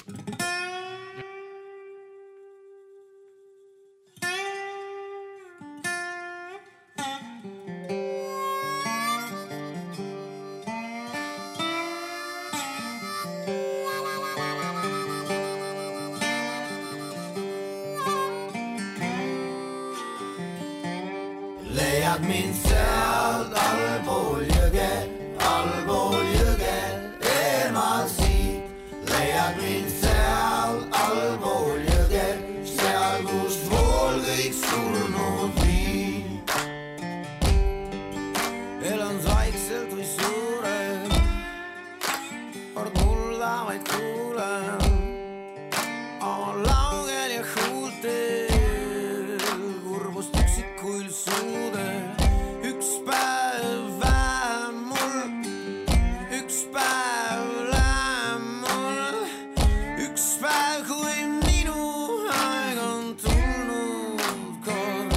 Leiad mind sealt allpool jõge, allpool jõge, eemal siit. Leiad mind sealt allpool jõge, seal kust vool kõik surnud viib. Elan vaikselt või suurem, kord mulla vaid kuulen. Oma laugel ja huultel, kurbust üksikuil suude. Üks päev vähem mul, üks päev lähem mul. Üks päev, kui minu aeg on tulnud kord.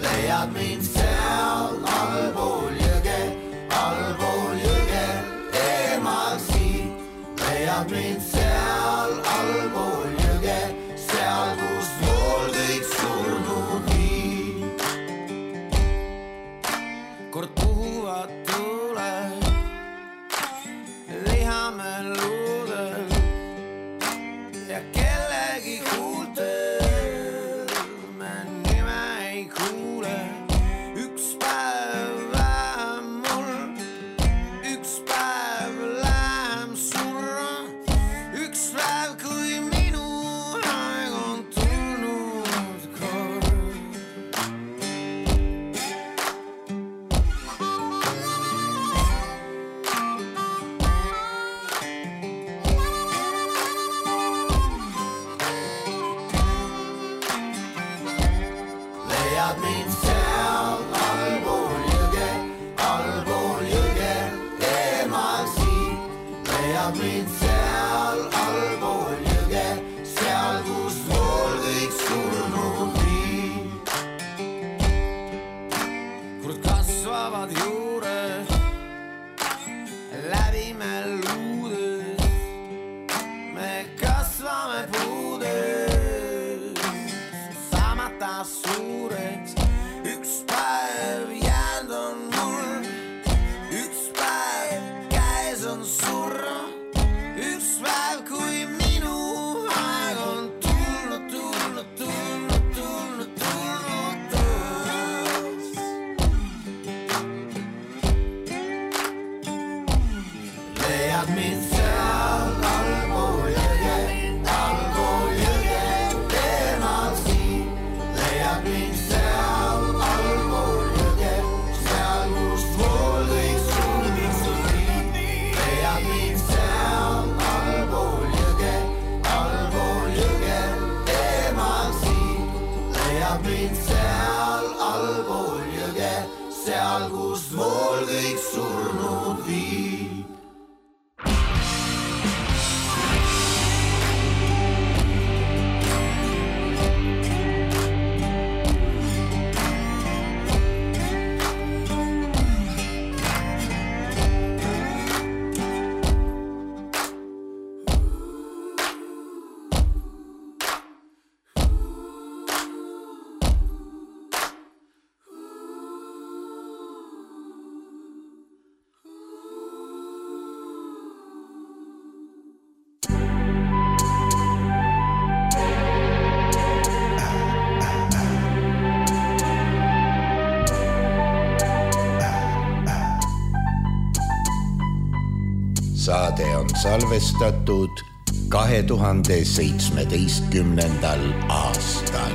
Leiad mind seal allpool jõge, allpool jõge, eemal siit. Leiad mind seal allpool jõge, seal kust vool kõik surnud viib. Kord puhuvad tuled, lihame luudel ja kellegi huultel me nime ei kuule. Üks päev vähem mul, üks päev lähem surra. Üks päev, kui minu aeg on tulnud kord. Leiad mind seal allpool jõge, allpool jõge, eemal siit. Leiad mind seal allpool suureks. Üks päev jäänud on mul, üks päev käes on surra, üks päev kui minu aeg on tulnud, tulnud, tulnud, tulnud, tulnud taas. Leiad mind seal allpool jõge, allpool jõge, teemal siin. Leiad mind seal allpool jõge, seal kust vool kõik sul viib. Leiad mind seal allpool jõge, allpool jõge, teemal siin. Leiad mind seal allpool jõge, seal kust vool kõik surnud viib. Saade on salvestatud kahe tuhande seitsmeteistkümnendal aastal.